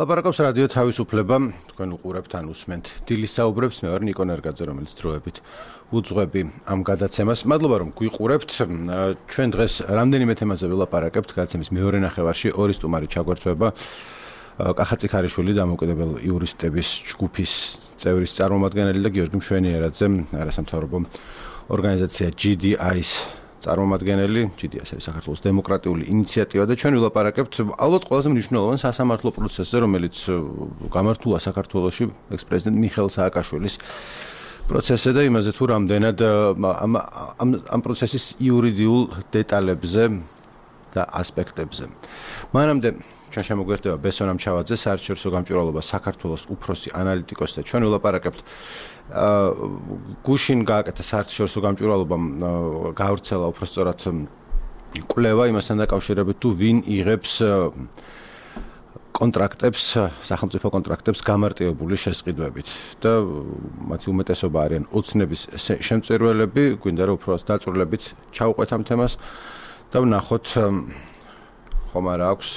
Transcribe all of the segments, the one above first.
ლაპარაკობს რადიო თავისუფლება, თქვენ უყურებთ ან უსმენთ დილის საუბრებს, მე ვარ ნიკო ნერგაძე, რომელიც დროებით უძღვები ამ გადაცემას. მადლობა რომ გვიყურებთ. ჩვენ დღეს რამდენიმე თემაზე ვილაპარაკებთ, გადაცემის მეორე ნახევარში ორი სტუმარი ჩაგვერთვება. კახა ციხარიშვილი, დამოუკიდებელ იურისტების ჯგუფის წევრის წარმომადგენელი და გიორგი მშვენიერაძე, არასამთავრობო ორგანიზაცია GDI-ს წარმომადგენელი, GDI-ს არის საქართველოს დემოკრატიული ინიციატივა და ჩვენ ვილაპარაკებთ ალბათ ყველაზე მნიშვნელოვან სასამართლო პროცესზე, რომელიც გამართულა საქართველოში ექს-პრეზიდენტ მიხეილ სააკაშვილის პროცესზე და იმაზე თუ რამდენად ამ პროცესის იურიდიულ დეტალებზე და ასპექტებზე. მანამდე ჩვენ შემოგვერთდება ბესონ ამჩავაძე, საერთაშორისო გამჭვირვალობა საქართველოს უფროსი ანალიტიკოსი და ჩვენ ვილაპარაკებთ გუშინ გააკეთა საერთაშორისო გამჭვირვალობამ გავრცელა უბრალოდ კვლევა იმასთან დაკავშირებით თუ ვინ იღებს კონტრაქტებს, სახელმწიფო კონტრაქტებს გამარტივებული შესყიდვებით და მათი უმეტესობა არიან ოცნების შემწირველები, გვინდა რომ უფრო დაწვრილებით ჩავყვეთ ამ თემას და ვნახოთ ხომ არა აქვს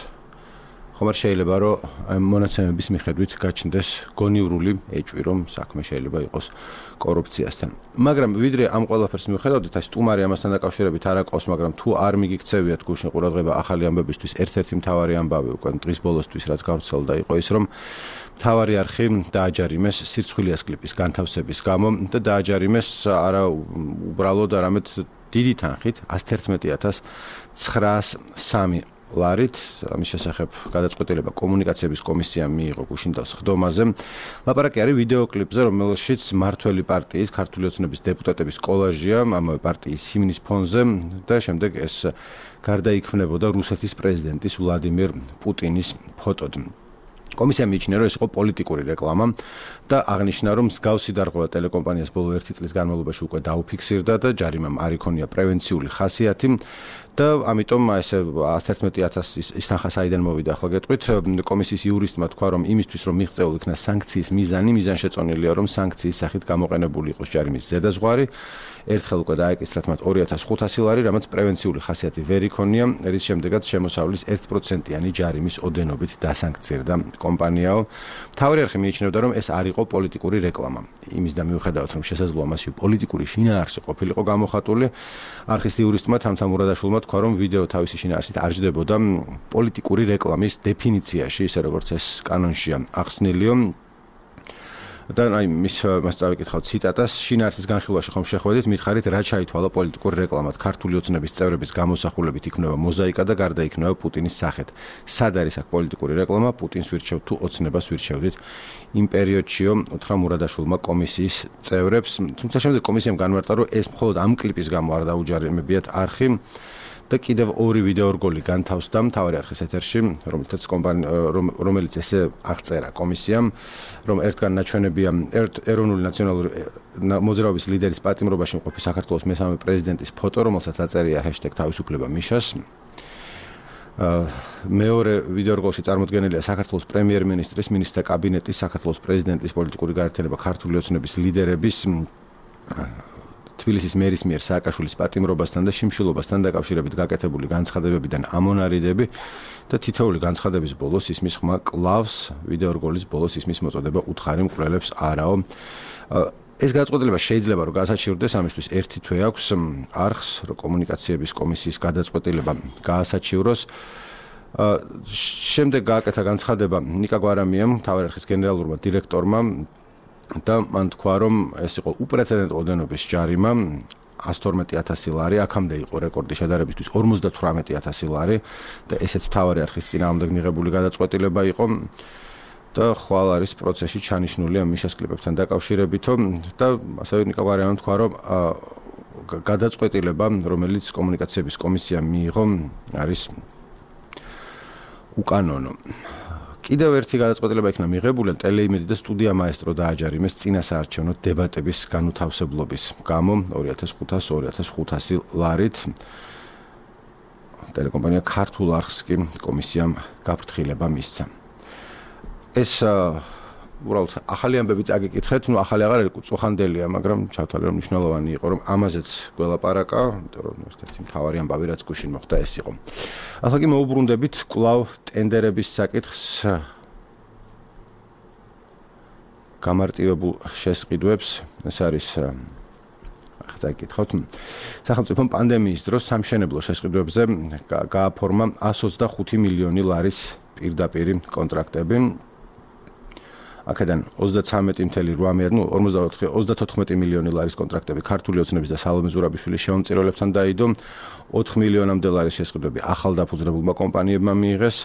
ხომ არ შეიძლება რომ მონაცემების მიხედვით გაჩნდეს გონივრული ეჭვი რომ საქმე შეიძლება იყოს კორუფციასთან. მაგრამ ვიდრე ამ ყველაფერს მიუხედავთ, ეს სტუმარი ამასთან დაკავშირებით არ აკყავს, მაგრამ თუ არ მიგიქცევიათ გუშინ ყურადღება ახალი ამბებისთვის, ერთ-ერთი მთავარი ამბავი უკვე დღის ბოლოსთვის რაც გავრცელდა იყო ის რომ მთავარი არხი დააჯარიმეს სირცხვილიას კლიპის განთავსების გამო და დააჯარიმეს არა უბრალოდ არამედ დიდი თანხით 111903 ლარით, ამის შესახებ გადაწყვეტილება კომუნიკაციების კომისიამ მიიღო გუშინდელს ხდომაზე. ლაპარაკი არის ვიდეო კლიპზე, რომელშიც მმართველი პარტიის ქართული ოცნების დეპუტატების კოლაჟია, ამავე პარტიის ჰიმნის ფონზე და შემდეგ ეს გარდაიქმნებოდა რუსეთის პრეზიდენტის ვლადიმირ პუტინის ფოტოდ. კომისია მიიჩნია, რომ ეს იყო პოლიტიკური რეკლამა და აღნიშნა, რომ მსგავსი დარღვევა ტელეკომპანიას ბოლო 1 წლის განმავლობაში უკვე დაუფიქსირდა და ჯარიმამ არ იქონია პრევენციული ხასიათი და ამიტომ ესე 111000 ის თანხა საიდან მოვიდა ახლა გეტყვით. კომისიის იურისტმა თქვა, რომ იმისთვის რომ მიღწეულ იქნა სანქციის მიზანშეწონილია, რომ სანქციის სახით გამოყენებული იყოს ჯარიმის ზედაზღვარი. ერთხელ უკვე დაეკისრათ მათ 2500 ლარი, რამაც პრევენციული ხასიათი ვერ იქონია, რის შემდეგაც შემოსავლის 1%-იანი ჯარიმის ოდენობით დასანქცირდა კომპანიაო. მთავარი არხი მიიჩნევდა, რომ ეს არ იყო პოლიტიკური რეკლამა. იმის და მიუხედავად, რომ შესაძლოა მასში პოლიტიკური შინაარსი ყოფილიყო გამოხატული, არხის იურისტმა თამთა მურადაშვილმა თქვა, რომ ვიდეო თავისი შინაარსით არ ჯდებოდა პოლიტიკური რეკლამის დეფინიციაში, ისე როგორც ეს კანონშია ახსნილიო. და მას წავიკითხავთ ციტატას, შინაარსის განხილვაში ხომ შეხვედით, მითხარით რა ჩაითვალა პოლიტიკური რეკლამად, ქართული ოცნების წევრების გამოსახულებით იქნება მოზაიკა და გარდაიქმნება პუტინის სახეთ. სად არის აქ პოლიტიკური რეკლამა, პუტინს ვირჩევთ თუ ოცნებას ვირჩევდით? იმ პერიოდშიო უთხრა მურადაშვილმა კომისიის წევრებს, თუმცა შემდეგ კომისიამ განმარტა, რომ ეს მხოლოდ ამ კლიპის გამო არ დაუჯარიმებიათ არხი. და კიდევ ორი ვიდეო რგოლი განთავსდა მთავარი არხის ეთერში, რომელიც ესე აღწერა კომისიამ, რომ ერთგან ნაჩვენებია ეროვნული ნაციონალური მოძრაობის ლიდერის პატიმრობაში მყოფი საქართველოს მესამე პრეზიდენტის ფოტო, რომელსაც აწერია #თავისუფლება მიშას. მეორე ვიდეო რგოლში წარმოდგენილია საქართველოს პრემიერ-მინისტრის, მინისტრთა კაბინეტის, საქართველოს პრეზიდენტის პოლიტიკური გაერთიანება ქართული ოცნების ლიდერების თბილისის მერის მიერ სააკაშვილის პატიმრობასთან და შიმშილობასთან დაკავშირებით გაკეთებული განცხადებებიდან ამონარიდები და თითოეული განცხადების ბოლოს ისმის ხმა კლავს, ვიდეო რგოლის ბოლოს ისმის მოწოდება უთხარი მკვლელებს არაო. ეს გადაწყვეტილება შეიძლება რომ გაასაჩივრდეს, ამისთვის ერთი თვე აქვს არხს, რომ კომუნიკაციების კომისიის გადაწყვეტილება გაასაჩივროს. შემდეგ გააკეთა განცხადება ნიკა გვარამიამ, მთავარი არხის გენერალურმა დირექტორმა და მან თქვა, რომ ეს იყო უპრეცედენტო ოდენობის ჯარიმა 112000 ლარი, აქამდე იყო რეკორდი შედარებისთვის 58000 ლარი და ესეც მთავარი არხის წინააღმდეგ მიღებული გადაწყვეტილება იყო და ხვალ არის პროცესში ჩანიშნული ამ მიშას კლიპებთან დაკავშირებითო და ასევე ნიკა გვარამიამ თქვა, რომ გადაწყვეტილება, რომელიც კომუნიკაციების კომისიამ მიიღო, არის უკანონო. კიდევ ერთი გადაწყვეტილება იქნა მიღებული, ტელეიმედი და სტუდია მაესტრო დააჯარიმეს წინასაარჩევნო დებატების განუთავსებლობის გამო 2500 ლარით. ტელეკომპანია ქართულ არხს კი კომისიამ გაფრთხილება მისცა. ეს უბრალოდ ახალი ამბები წაგიკითხეთ, ახალი აღარ არის, წუხანდელია, მაგრამ ჩავთვალე რომ მნიშვნელოვანი იყო, რომ ამაზეც გველაპარაკა, იმიტომ რომ ერთ-ერთი მთავარი ამბავი რაც გუშინ მოხდა ეს იყო. ახლა კი მოუბრუნდებით კვლავ ტენდერების საკითხს გამარტივებულ შესყიდვებს, ეს არის წაკითხოთ. სახელმწიფომ პანდემიის დროს სამშენებლო შესყიდვებზე გააფორმა 125 მილიონი ლარის პირდაპირი კონტრაქტები. აქედან 34 მილიონი ლარის კონტრაქტები ქართული ოცნების და სალომე ზურაბიშვილის შემომწირველებთან დაიდო, 4 მილიონამდე ლარის შესყიდვები ახალ დაფუძნებულმა კომპანიებმა მიიღეს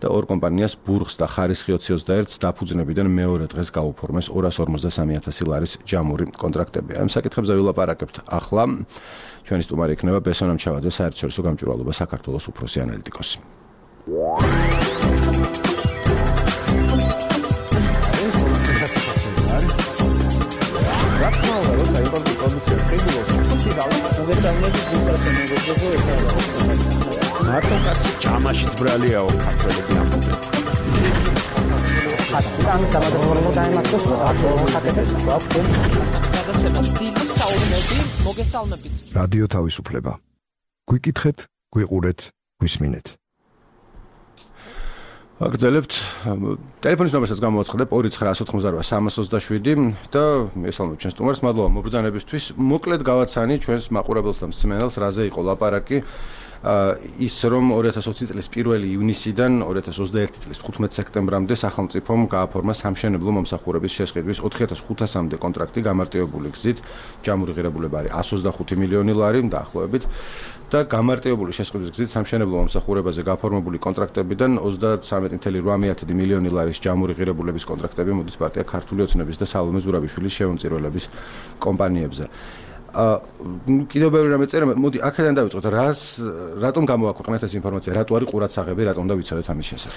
და ორ კომპანიას ბურგს და ხარისხი 2021-ს დაფუძნებიდან მეორე დღეს გაუფორმეს 253,000 ლარის ჯამური კონტრაქტები. ამ საკითხებზე ვილაპარაკებთ ახლა. ჩვენი სტუმარი იქნება ბესონამ ჩავაძე, საერთაშორისო გამჭვირვალობა საქართველოს უფროსი ანალიტიკოსი. მარტო კაცი ჯამაშიც ბრალიაო ქართველები ამბობენ. ამის დამადროება დაემართოს ხათებს გვაქვს. გადაცემას დიდი საუბნები მოგესალმებით. რადიო თავისუფლება. გვიკითხეთ, გვიყურეთ, გვისმინეთ. აგრძელებთ ტელეფონის ნომერსაც გამოვაცხადებ 29188 და მესალმებით ჩვენს სტუმარს, მადლობა მობრძანებისთვის. მოკლედ გავაცანი ჩვენს მაყურებელს და მსმენელს, რაზე იყო ლაპარაკი. ის რომ 2020 წლის 1 ივნისიდან 2021 წლის 15 სექტემბრამდე სახელმწიფომ გააფორმა სამშენებლო მომსახურების შესყიდვის 4500-მდე კონტრაქტი გამარტივებული გზით. ჯამური ღირებულება არის 125 მილიონი ლარი დაახლოებით და გამარტივებული შესყიდვის გზით სამშენებლო მომსახურებაზე გაფორმებული კონტრაქტებიდან 33.8 მილიონი ლარის ჯამური ღირებულების კონტრაქტები მოდის პარტია ქართული ოცნების და სალომე ზურაბიშვილის შემომწირველების კომპანიებზე. კიდევ ბევრი რამე წერა, მოდი აქედან დავიწყოთ. რატომ გამოაქვეყნეთ ეს ინფორმაცია? რატო არის ყურადსაღები, რატომ და ვიცოდეთ ამის შესახებ?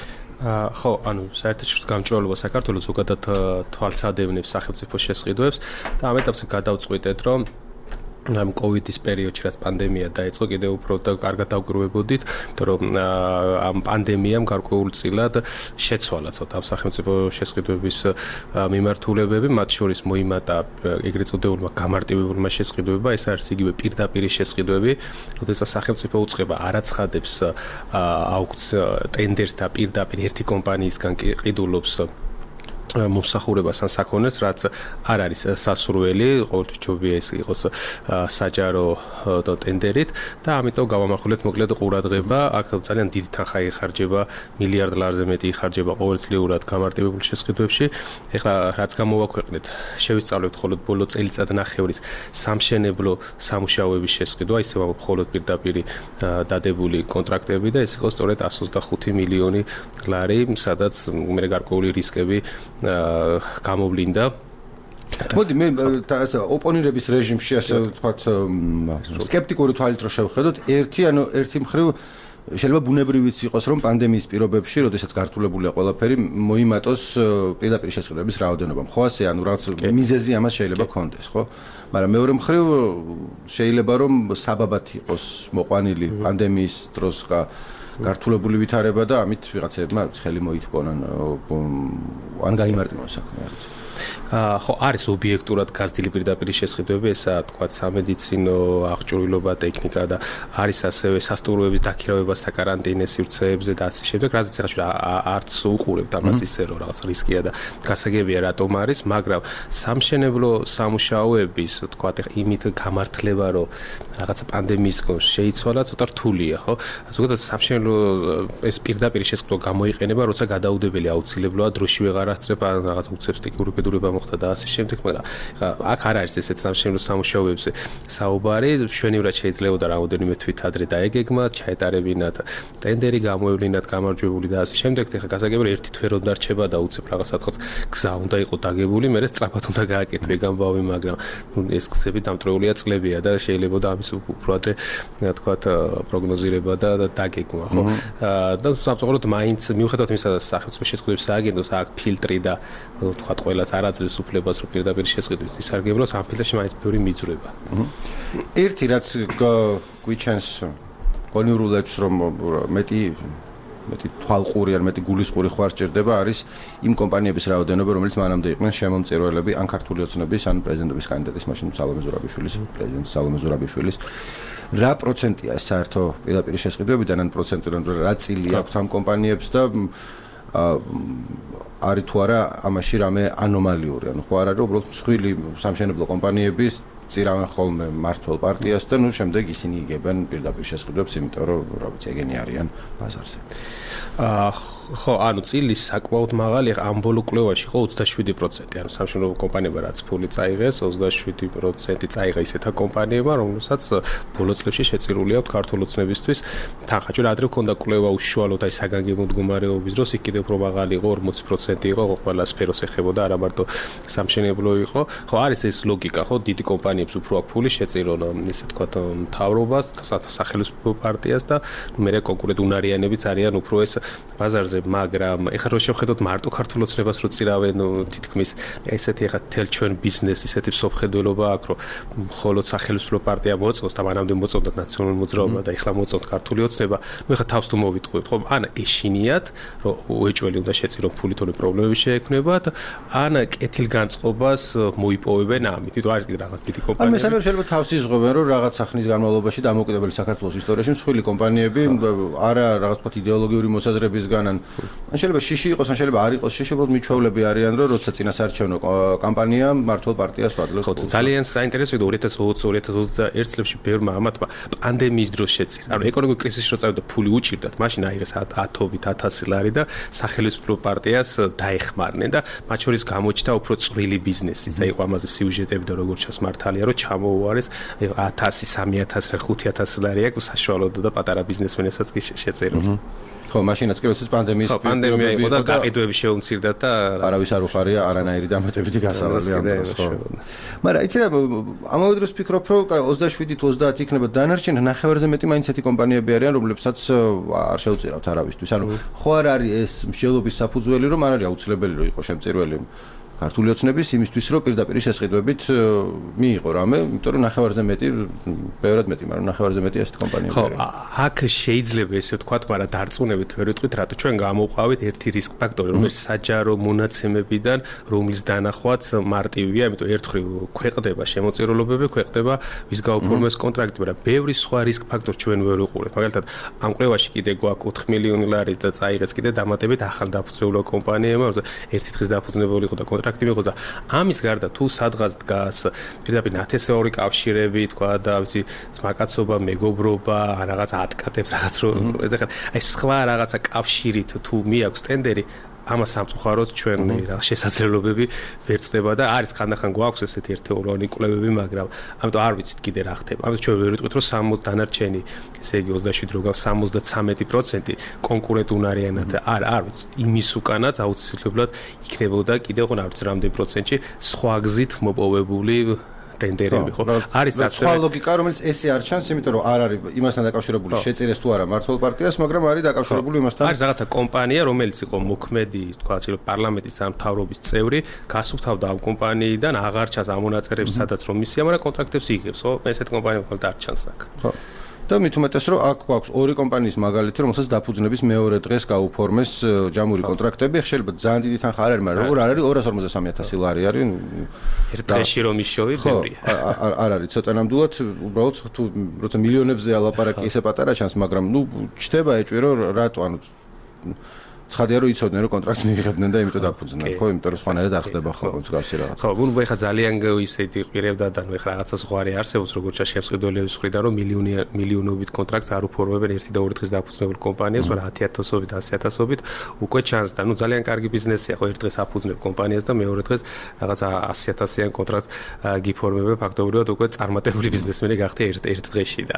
ხო, საერთაშორისო გამჭვირვალობა საქართველოს ზოგადად თვალსადევნებს სახელმწიფო შესყიდვებს და ამ ეტაპზე გადავწყვიტეთ, რომ ამ კოვიდის პერიოდში რაც პანდემია დაიწყო, კიდევ უფრო და კარგად დავგროვებოდით, იმიტომ რომ ამ პანდემიამ გარკვეულწილად შეცვალა ცოტა ამ სახელმწიფო შესყიდვების მიმართულებები, მათ შორის მოიმატა ეგრეთ წოდებულმა გამარტივებულმა შესყიდვებმა, ეს არის იგივე პირდაპირი შესყიდვები, როდესაც სახელმწიფო უწყება არ აცხადებს ტენდერს და პირდაპირ ერთი კომპანიისგან ყიდულობს მომსახურებას ან საქონელს, რაც არ არის სასურველი, ყოველთვის ჯობია ეს იყოს საჯარო ტენდერით და ამიტომ გავამახვილეთ მოკლედ ყურადღება. აქ ძალიან დიდი თანხა იხარჯება, მილიარდ ლარზე მეტი იხარჯება ყოველწლიურად გამარტივებულ შესყიდვებში. ეხლა რაც გამოვაქვეყნეთ, შევისწავლეთ მხოლოდ ბოლო წელიწადნახევრის სამშენებლო სამუშაოების შესყიდვა, ისევ მხოლოდ პირდაპირი დადებული კონტრაქტები და ეს იყო სწორედ 125 მილიონი ლარი, სადაც მე გარკვეული რისკები გამოვლინდა. მოდი მე ოპონირების რეჟიმში ასე ვთქვათ სკეპტიკური თვალით რო შევხედოთ, ერთი მხრივ შეიძლება ბუნებრივიც იყოს, რომ პანდემიის პირობებში, როდესაც გართულებულია ყველაფერი, მოიმატოს პირდაპირ შესყიდვების რაოდენობა. ხო ასე, ანუ რაღაც მიზეზი ამას შეიძლება ქონდეს, ხო? მაგრამ მეორე მხრივ შეიძლება რომ საბაბად იყოს მოყვანილი პანდემიის დროს გართულებული ვითარება და ამით ვიღაცებმა ხელი მოითბონან ან გაიმარტივონ საქმე არის. ხო, არის ობიექტურად გაზრდილი პირდაპირი შესყიდვები, ესაა თქვა სამედიცინო აღჭურვილობა, ტექნიკა და არის ასევე სასტუმროების დაქირავება საკარანტინე სივრცეებზე და ასე შემდეგ, რაზეც ახლა არც უყურებთ ამას ისე რომ რაღაც რისკია და გასაგებია რატომ არის, მაგრამ სამშენებლო სამუშაოების თქვა იმით გამართლება, რომ რაღაცა პანდემიის გამო შეიცვალა, ცოტა რთულია, ხო? ზოგადად სამშენებლო ეს პირდაპირი შესყიდვა გამოიყენება, როცა გადაუდებელი აუცილებლოა დროში ვეღარ ასწრება, რაღაც უცებ სტიქიური ბედურება მოხდა და ასე შემდეგ, მაგრამ აქ არ არის ესეც სამშენებლო სამუშაოებზე საუბარი, მშვენივრად შეიძლება და რამოდენიმე თვით ადრე დაეგეგმათ, ჩაეტარებინათ ტენდერი, გამოევლინათ გამარჯვებული და ასე შემდეგ. ეხლა გასაგებია ერთი თვე რომ დარჩება და უცებ რაღაცა გზა უნდა იყოს დაგებული, მერე სწრაფად უნდა გააკეთო გამბავი, მაგრამ ეს გზები დამტრეულია წლებია და შეიძლება და ამის უფრო ადრე თქვათ პროგნოზირება და დაგეგმა, ხო? და სამწუხაროდ მაინც მიუხედავად იმისა, სახელმწიფო შესყიდვების სააგენტოს აქ ფილტრი და თქვათ ყველას არ აძლევს უფლებას, რომ პირდაპირ შესყიდვის ისარგებლოს, ამ ფილტრში მაინც ბევრი მიძვრება. ერთი რაც გვიჩენს კონიურულებს, რომ მეტი თვალყური ან მეტი გულისყური ხوار სჭირდება, არის იმ კომპანიების რაოდენობა, რომელიც მანამდე იყვნენ შემომწირველები ან ქართული ოცნების ან პრეზიდენტობის კანდიდატის, მაშინ სალომე ზურაბიშვილის, პრეზიდენტ სალომე ზურაბიშვილის. რა პროცენტია საერთო პირდაპირ შესყიდვებიდან ან პროცენტიდან რა წილი აქვს ამ კომპანიებს და არის თუ არა ამაში რამე ანომალიური, ანუ ხო არ არის უბრალოდ მსხვილი სამშენებლო კომპანიების წირავენ ხოლმე მართლ პარტიას და შემდეგ ისინი იგებენ პირდაპირ შესყიდვებს, იმიტომ რომ რა ვიცი, ეგენი არიან ბაზარზე. ხო, ანუ წილის საკმაოდ მაღალი, ამ ბოლო კვლევაში ხო 27%, ანუ სამშენებლო კომპანიებმა რაც ფული წაიღეს, 27% წაიღა ისეთა კომპანიებმა, რომელსაც ბოლო წლებში შეწირული აქვთ ქართულ ოცნებისთვის თანხა. ჩვენ ადრე გვქონდა კვლევა უშუალოდ აი საგანგებო მდგომარეობის დროს, იქ კიდევ უფრო მაღალი იყო, 40% იყო, ყველა სფეროს ეხებოდა, არა მარტო სამშენებლო იყო. ხო, არის ეს ლოგიკა, ხო, დიდი კომპანიებს უფრო აქვს ფული შეწირონ, ესე თქვა მთავრობას, სახელმწიფო პარტიას და მერე კონკურენტ უნარიანებიც არიან უფრო ეს ბაზარზე, მაგრამ ეხლა რო შევხედოთ მარტო ქართულ ოცნებას რო წირავენ თითქმის ესეთი ეხლა თელ ჩვენ ბიზნესი ისეთი სოფხედველობა აქვს, რომ მხოლოდ სახელმწიფო პარტია მოწონს და მანამდე მოწონდა ნაციონალური მოძრაობა და ეხლა მოწონთ ქართული ოცნება, ნუ ეხლა თავს თუ მოვიტყვით, ხო, ან ეშინიათ, რომ უეჭველი უნდა შეწირონ ფული, თორე პრობლემები შეექმნებათ, ან კეთილგანწყობას მოიპოვებენ ამით. თვითონ არის კიდე რაღაც დიდი კომპანიები. ან მესამე შეიძლება თავს იზღობენ, რომ რაღაც სახნის განმავლობაში დამოუკიდებელი საქართველოს ისტორიაში მსხვილი კომპანიები არა რაღაც თქვა იდეოლოგიური მოსაზრებისგან ან შეიძლება შიში იყოს, ან შეიძლება არ იყოს შიში, უბრალოდ მიჩვეულები არიან, რომ როცა წინასაარჩევნო კამპანია მართლ პარტიას ვაძლევს. ხო, ძალიან საინტერესოა 2020-2021 წლებში ბევრმა ამათმა პანდემიის დროს შეწირა. ანუ ეკონომიკური კრიზისი რო წავიდა, ფული უჭირდათ, მაშინ აიღეს 10,000 ლარი და სახელმწიფო პარტიას დაეხმარნენ და მათ შორის გამოჩნდა უფრო წვრილი ბიზნესი. საერთოდ ამაზე სიუჟეტები და როგორც ჩასმართალია, რომ ჩამოუარეს 1,000, 3,000, 5,000 ლარი აქვს საშუალოდ და პატარა ბიზნესმენებსაც კი შეწირონ. ხო, მაშინაც კი როდესაც პანდემიის პანდემია იყო და გაყიდვები შეუმცირდათ და არავის არ უხარია არანაირი დამატებითი გასავალი ამ დროს, ხო. მაგრამ იცი რა, ამავე დროს ვფიქრობ, რომ 27 თუ 30 იქნება დანარჩენი, ნახევარზე მეტი მაინც ესეთი კომპანიები არიან, რომლებსაც არ შეუწირავთ არავისთვის. ანუ ხო არ არის ეს მსჯელობის საფუძველი, რომ არ არის აუცილებელი რომ იყოს შემწირველი ქართული ოცნების იმისთვის, რომ პირდაპირ შესყიდვებით მიიღო რამე, იმიტომ რომ ნახევარზე მეტი, ბევრად მეტი, მაგრამ ნახევარზე მეტი ესეთი კომპანიები არის. ხო, აქ შეიძლება ესე ვთქვათ, მაგრამ დარწმუნებით ვერ ვიტყვით, რატო ჩვენ გამოვყავით ერთი რისკ ფაქტორი, რომელიც საჯარო მონაცემებიდან, რომლის დანახვაც მარტივია, იმიტომ ერთხელ ქვეყნდება შემოწირულობები, ქვეყნდება ვის გაუფორმეს კონტრაქტი, მაგრამ ბევრი სხვა რისკ ფაქტორი ჩვენ ვერ ვიყურებთ. მაგალითად, ამ კვლევაში კიდე გვაქვს 4 მილიონი ლარი და წაიღეს კიდე დამატებით ახალ დაფუძნებულ კომპანიებმა, ერთი დღის დაფუძნებული იყო და კონტრაქტი მიღო და ამის გარდა თუ სადღაც დგას პირდაპირ ნათესაური კავშირები, თქვა და ვიცი, ძმაკაცობა, მეგობრობა, რაღაც ატკატებს, რაღაც რო ეხლა აი სხვა რაღაცა კავშირით თუ მიაქვს ტენდერი, ამას სამწუხაროდ ჩვენ რაღაც შესაძლებლობები ვერ წდება და არის ხანდახან გვაქვს ესეთი ერთეულოვანი კვლევები, მაგრამ ამიტომ არ ვიცით კიდე რა ხდება. ამიტომ ჩვენ ვერ ვიტყვით, რომ 60 დანარჩენი, ესე იგი 27 რო გავს 73% კონკურენტ უნარიანად არ ვიცით. იმის უკანაც აუცილებლად იქნებოდა კიდე ხო არ ვიცი რამდენი პროცენტი სხვა გზით მოპოვებული ტენდერები, ხო? არის ასე სხვა ლოგიკა, რომელიც ესე არ ჩანს, იმიტომ რომ არ არის იმასთან დაკავშირებული შეწირეს თუ არა მართლ პარტიას, მაგრამ არის დაკავშირებული იმასთან. არის რაღაცა კომპანია, რომელიც იყო მოქმედი, თქვა, პარლამენტის ან მთავრობის წევრი, გასუფთავდა ამ კომპანიიდან, აღარ ჩანს ამ მონაწერებს, სადაც რომ მისია, მაგრამ კონტრაქტებს იღებს, ხო? ესეთ კომპანიები მხოლოდ არ ჩანს აქ. ხო. და მით უმეტეს რომ აქ გვაქვს ორი კომპანიის მაგალითი, რომელსაც დაფუძნების მეორე დღეს გაუფორმეს ჯამური კონტრაქტები, შეიძლება ძალიან დიდი თანხა არ არის, მაგრამ როგორ არ არის 253,000 ლარი არის. ერთ დღეში რომ ისშოვი, ბევრია. არ არის ცოტა ნამდვილად, უბრალოდ თუ როცა მილიონებზე ალაპარაკი ისე პატარა ჩანს, მაგრამ ნუ ჩდება ეჭვი რომ რატო, ანუ ცხადია რომ იცოდნენ რომ კონტრაქტს მიიღებდნენ და იმიტომ დაფუძნდნენ, ხო, იმიტომ რომ სხვანაირად არ ხდება ხოლმე მსგავსი რაღაც. ხო, ნუ ეხა ძალიან ისეთი ყვირებდა და ნუ ეხა რაღაცა ზღვარი არსებობს, როგორც შეფსყიდველების მხრიდან რომ მილიონობით კონტრაქტს არ უფორმებენ ერთი და ორი დღის დაფუძნებულ კომპანიას, მაგრამ 10,000-ობით, 100,000-ობით უკვე ჩანს და ნუ ძალიან კარგი ბიზნესია, ხო, ერთ დღეს აფუძნებ კომპანიას და მეორე დღეს რაღაცა 100,000-იან კონტრაქტს გიფორმებენ, ფაქტობრივად უკვე წარმატებული ბიზნესმენი გახდა ერთ დღეში და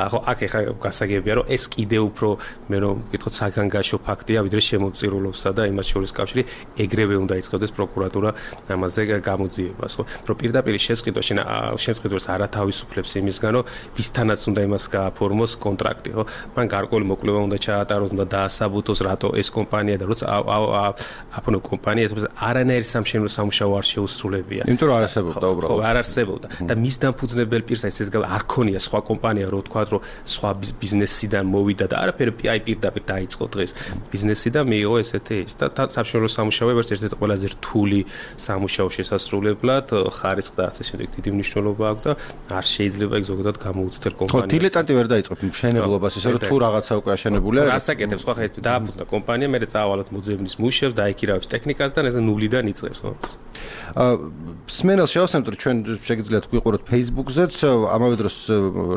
ხო, აქ ეხა გასაგებია რომ ეს კიდე უფრო მე რომ ვკითხოთ საგანგაშო ფაქტია, ვიდრე შემოწირულობსა და იმას შორის კავშირი ეგრევე უნდა იწყებდეს პროკურატურა ამაზე გამოძიებას, ხო? რომ პირდაპირ შესყიდვას არ ათავისუფლებს იმისგან, რომ ვისთანაც უნდა იმას გააფორმოს კონტრაქტი, ხო? მან გარკვეული მოკვლევა უნდა ჩაატაროს, უნდა დაასაბუთოს, რატო ეს კომპანია და როცა აფონო კომპანია ეს არანაირი სამშენებლო სამუშაო არ შეუსრულებია. იმიტომ რომ არ არსებობდა უბრალოდ. ხო, არ არსებობდა და მის დამფუძნებელ პირს ეს არ ქონია სხვა კომპანია, რო თქვა, რომ სხვა ბიზნესიდან მოვიდა და არაფერი აი პირდაპირ დაიწყო დღეს ბიზნესიდან და მიიღო ესეთი ის და სამშობლო სამუშაოები ერთ-ერთი ყველაზე რთული სამუშაო შესასრულებლად ხარისხს და ასე შემდეგ დიდი მნიშვნელობა აქვს და არ შეიძლება იქ ზოგადად გამოუცდელ კომპანიას. ხო, დილეტანტი ვერ დაიწყებთ მშენებლობას, ისე რომ თუ რაღაცა უკვე აშენებულია. რასაკეთებს ხო ხა ეს დააფუძნა კომპანია, მე წავალოთ მუზეუმის მუშებს, დაიქირავებს ტექნიკას და ეს ნულიდან იწყებს, ხო? სმენელს შევასწავლეთ, რომ ჩვენ შეგიძლიათ გვიყუროთ Facebook-ზეც, ამავე დროს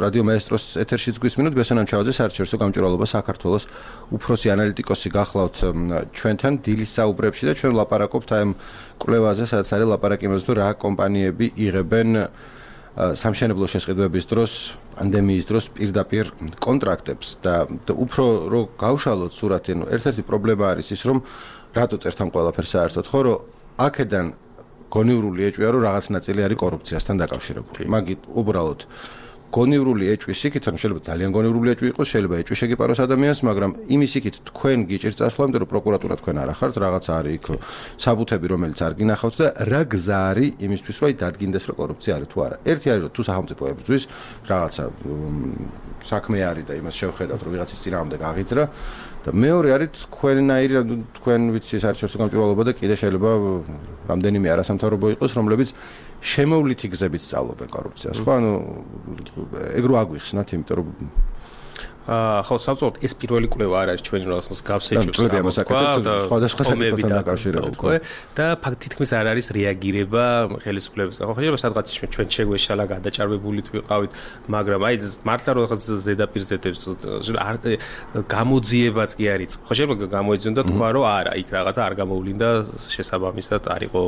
რადიო მაესტროს ეთერშიც გვისმინოთ, ბესენამ ჩავაძე საერთაშორისო გამჭვირვალობა საქართველოს უფროსი ანალიტიკოსი გახლავთ ჩვენთან დილის საუბრებში და ჩვენ ვლაპარაკობთ აი ამ კვლევაზე, სადაც არის ლაპარაკი იმაზე, რომ რა კომპანიები იღებენ სამშენებლო შესყიდვების დროს, პანდემიის დროს პირდაპირ კონტრაქტებს და უფრო რო გავშალოთ სურათი, ანუ ერთ-ერთი პრობლემა არის ის, რომ რატო წერთ ამ ყველაფერს საერთოდ, ხო, რომ აქედან გონივრული ეჭვია, რომ რაღაც ნაწილი არის კორუფციასთან დაკავშირებული. მაგით უბრალოდ გონივრული ეჭვის იქით, ანუ შეიძლება ძალიან გონივრული ეჭვი იყოს, შეიძლება ეჭვი შეგიპაროს ადამიანს, მაგრამ იმის იქით თქვენ გიჭირთ წასვლა, იმიტომ რომ პროკურატურა თქვენ არ ახართ, რაღაც არის იქ საბუთები, რომელიც არ გინახავთ და რა გზა არის იმისთვის, რომ დადგინდეს, რომ კორუფცია არის თუ არა. ერთი არის, რომ თუ სახელმწიფო ებრძვის, რაღაცა საქმე არის და იმას შევხედავთ, რომ ვიღაცის წინააღმდეგ აღიძრა და მეორე არის თქვენნაირი, თქვენ ვიცი საერთაშორისო გამჭვირვალობა და კიდე შეიძლება რამდენიმე არასამთავრობო იყოს, რომლებიც შემოვლითი გზებით სწავლობენ კორუფციას, ხო? ანუ ეგ რო აგვიხსნათ, იმიტომ რომ ხო, საბოლოოდ ეს პირველი კვლევა არ არის ჩვენი რაღაცას გავსეჭვს სხვადასხვა საკითხთან დაკავშირებით, ხო? და ფაქტითქმის არ არის რეაგირება ხელისუფლების. ხო, შეიძლება სადღაც ჩვენ შეგვეშალა გადაჭარბებულით ვიყავით, მაგრამ აი მართლა რაღაც ზედაპირზეთებს გამოძიებაც კი არის. ხო, შეიძლება გამოიძიონ და თქვა, რომ არა, იქ რაღაცა არ გამოვლინდა შესაბამისად არ იყო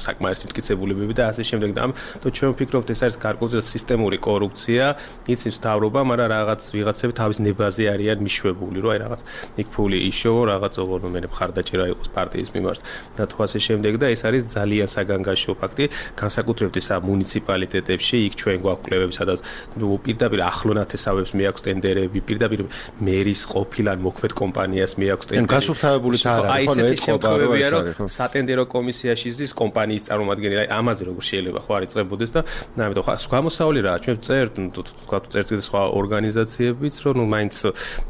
საკმარის სიმტკიცებულებები და ასე შემდეგ და ჩვენ ვფიქრობთ ეს არის გარკვეულწილად სისტემური კორუფცია, იცის მთავრობა, მაგრამ რაღაც ვიღაც თავის ნებაზე არიან მიშვებული, რომ აი რაღაც იქ ფული იშოვო, რაღაც ოღონდ მხარდაჭერა იყოს პარტიის მიმართ და თუ ასე შემდეგ და ეს არის ძალიან საგანგაშო ფაქტი, განსაკუთრებით ისა მუნიციპალიტეტებში, იქ ჩვენ გვაქვს კვლევები, სადაც პირდაპირ ახლო ნათესავებს მიაქვს ტენდერები, პირდაპირ მერის ყოფილ ან მოქმედ კომპანიას მიაქვს ტენდერები. გასუფთავებული არ არის, ხო, ეს შემთხვევებია, რომ სატენდერო კომისიაში ზის კომპანიის წარმომადგენელი, აი ამაზე როგორ შეიძლება ხო არ იწყებოდეს და ამიტომ გამოსავალი რა, ჩვენ წერთ, თქვა წერთ სხვა ორგანიზაციებიც რომ ნუ მაინც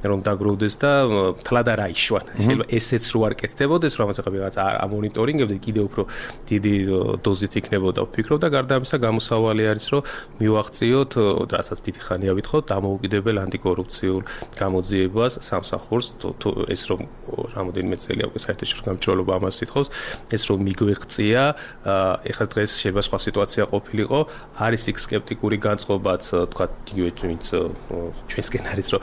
რომ დაგროვდეს და თლად არ აიშვან. შეიძლება ესეც რო არ კეთდებოდეს, რომ ახლა ვიღაც ამონიტორინგებდა, კიდე უფრო დიდი დოზით იქნებოდა ვფიქრობ და გარდა ამისა გამოსავალი არის, რომ მივაღწიოთ, რასაც დიდი ხანია ვითხოვთ, დამოუკიდებელ ანტიკორუფციულ გამოძიებას სამსახურს, ეს რომ რამოდენიმე წელია უკვე საერთაშორისო გამჭვირვალობა ამას ითხოვს, ეს რომ მიგვეღწია, ეხლა დღეს შეიძლება სხვა სიტუაცია ყოფილიყო, არის იქ სკეპტიკური განწყობაც, თქვა იგივე ვინც ჩვენსკენ არის რომ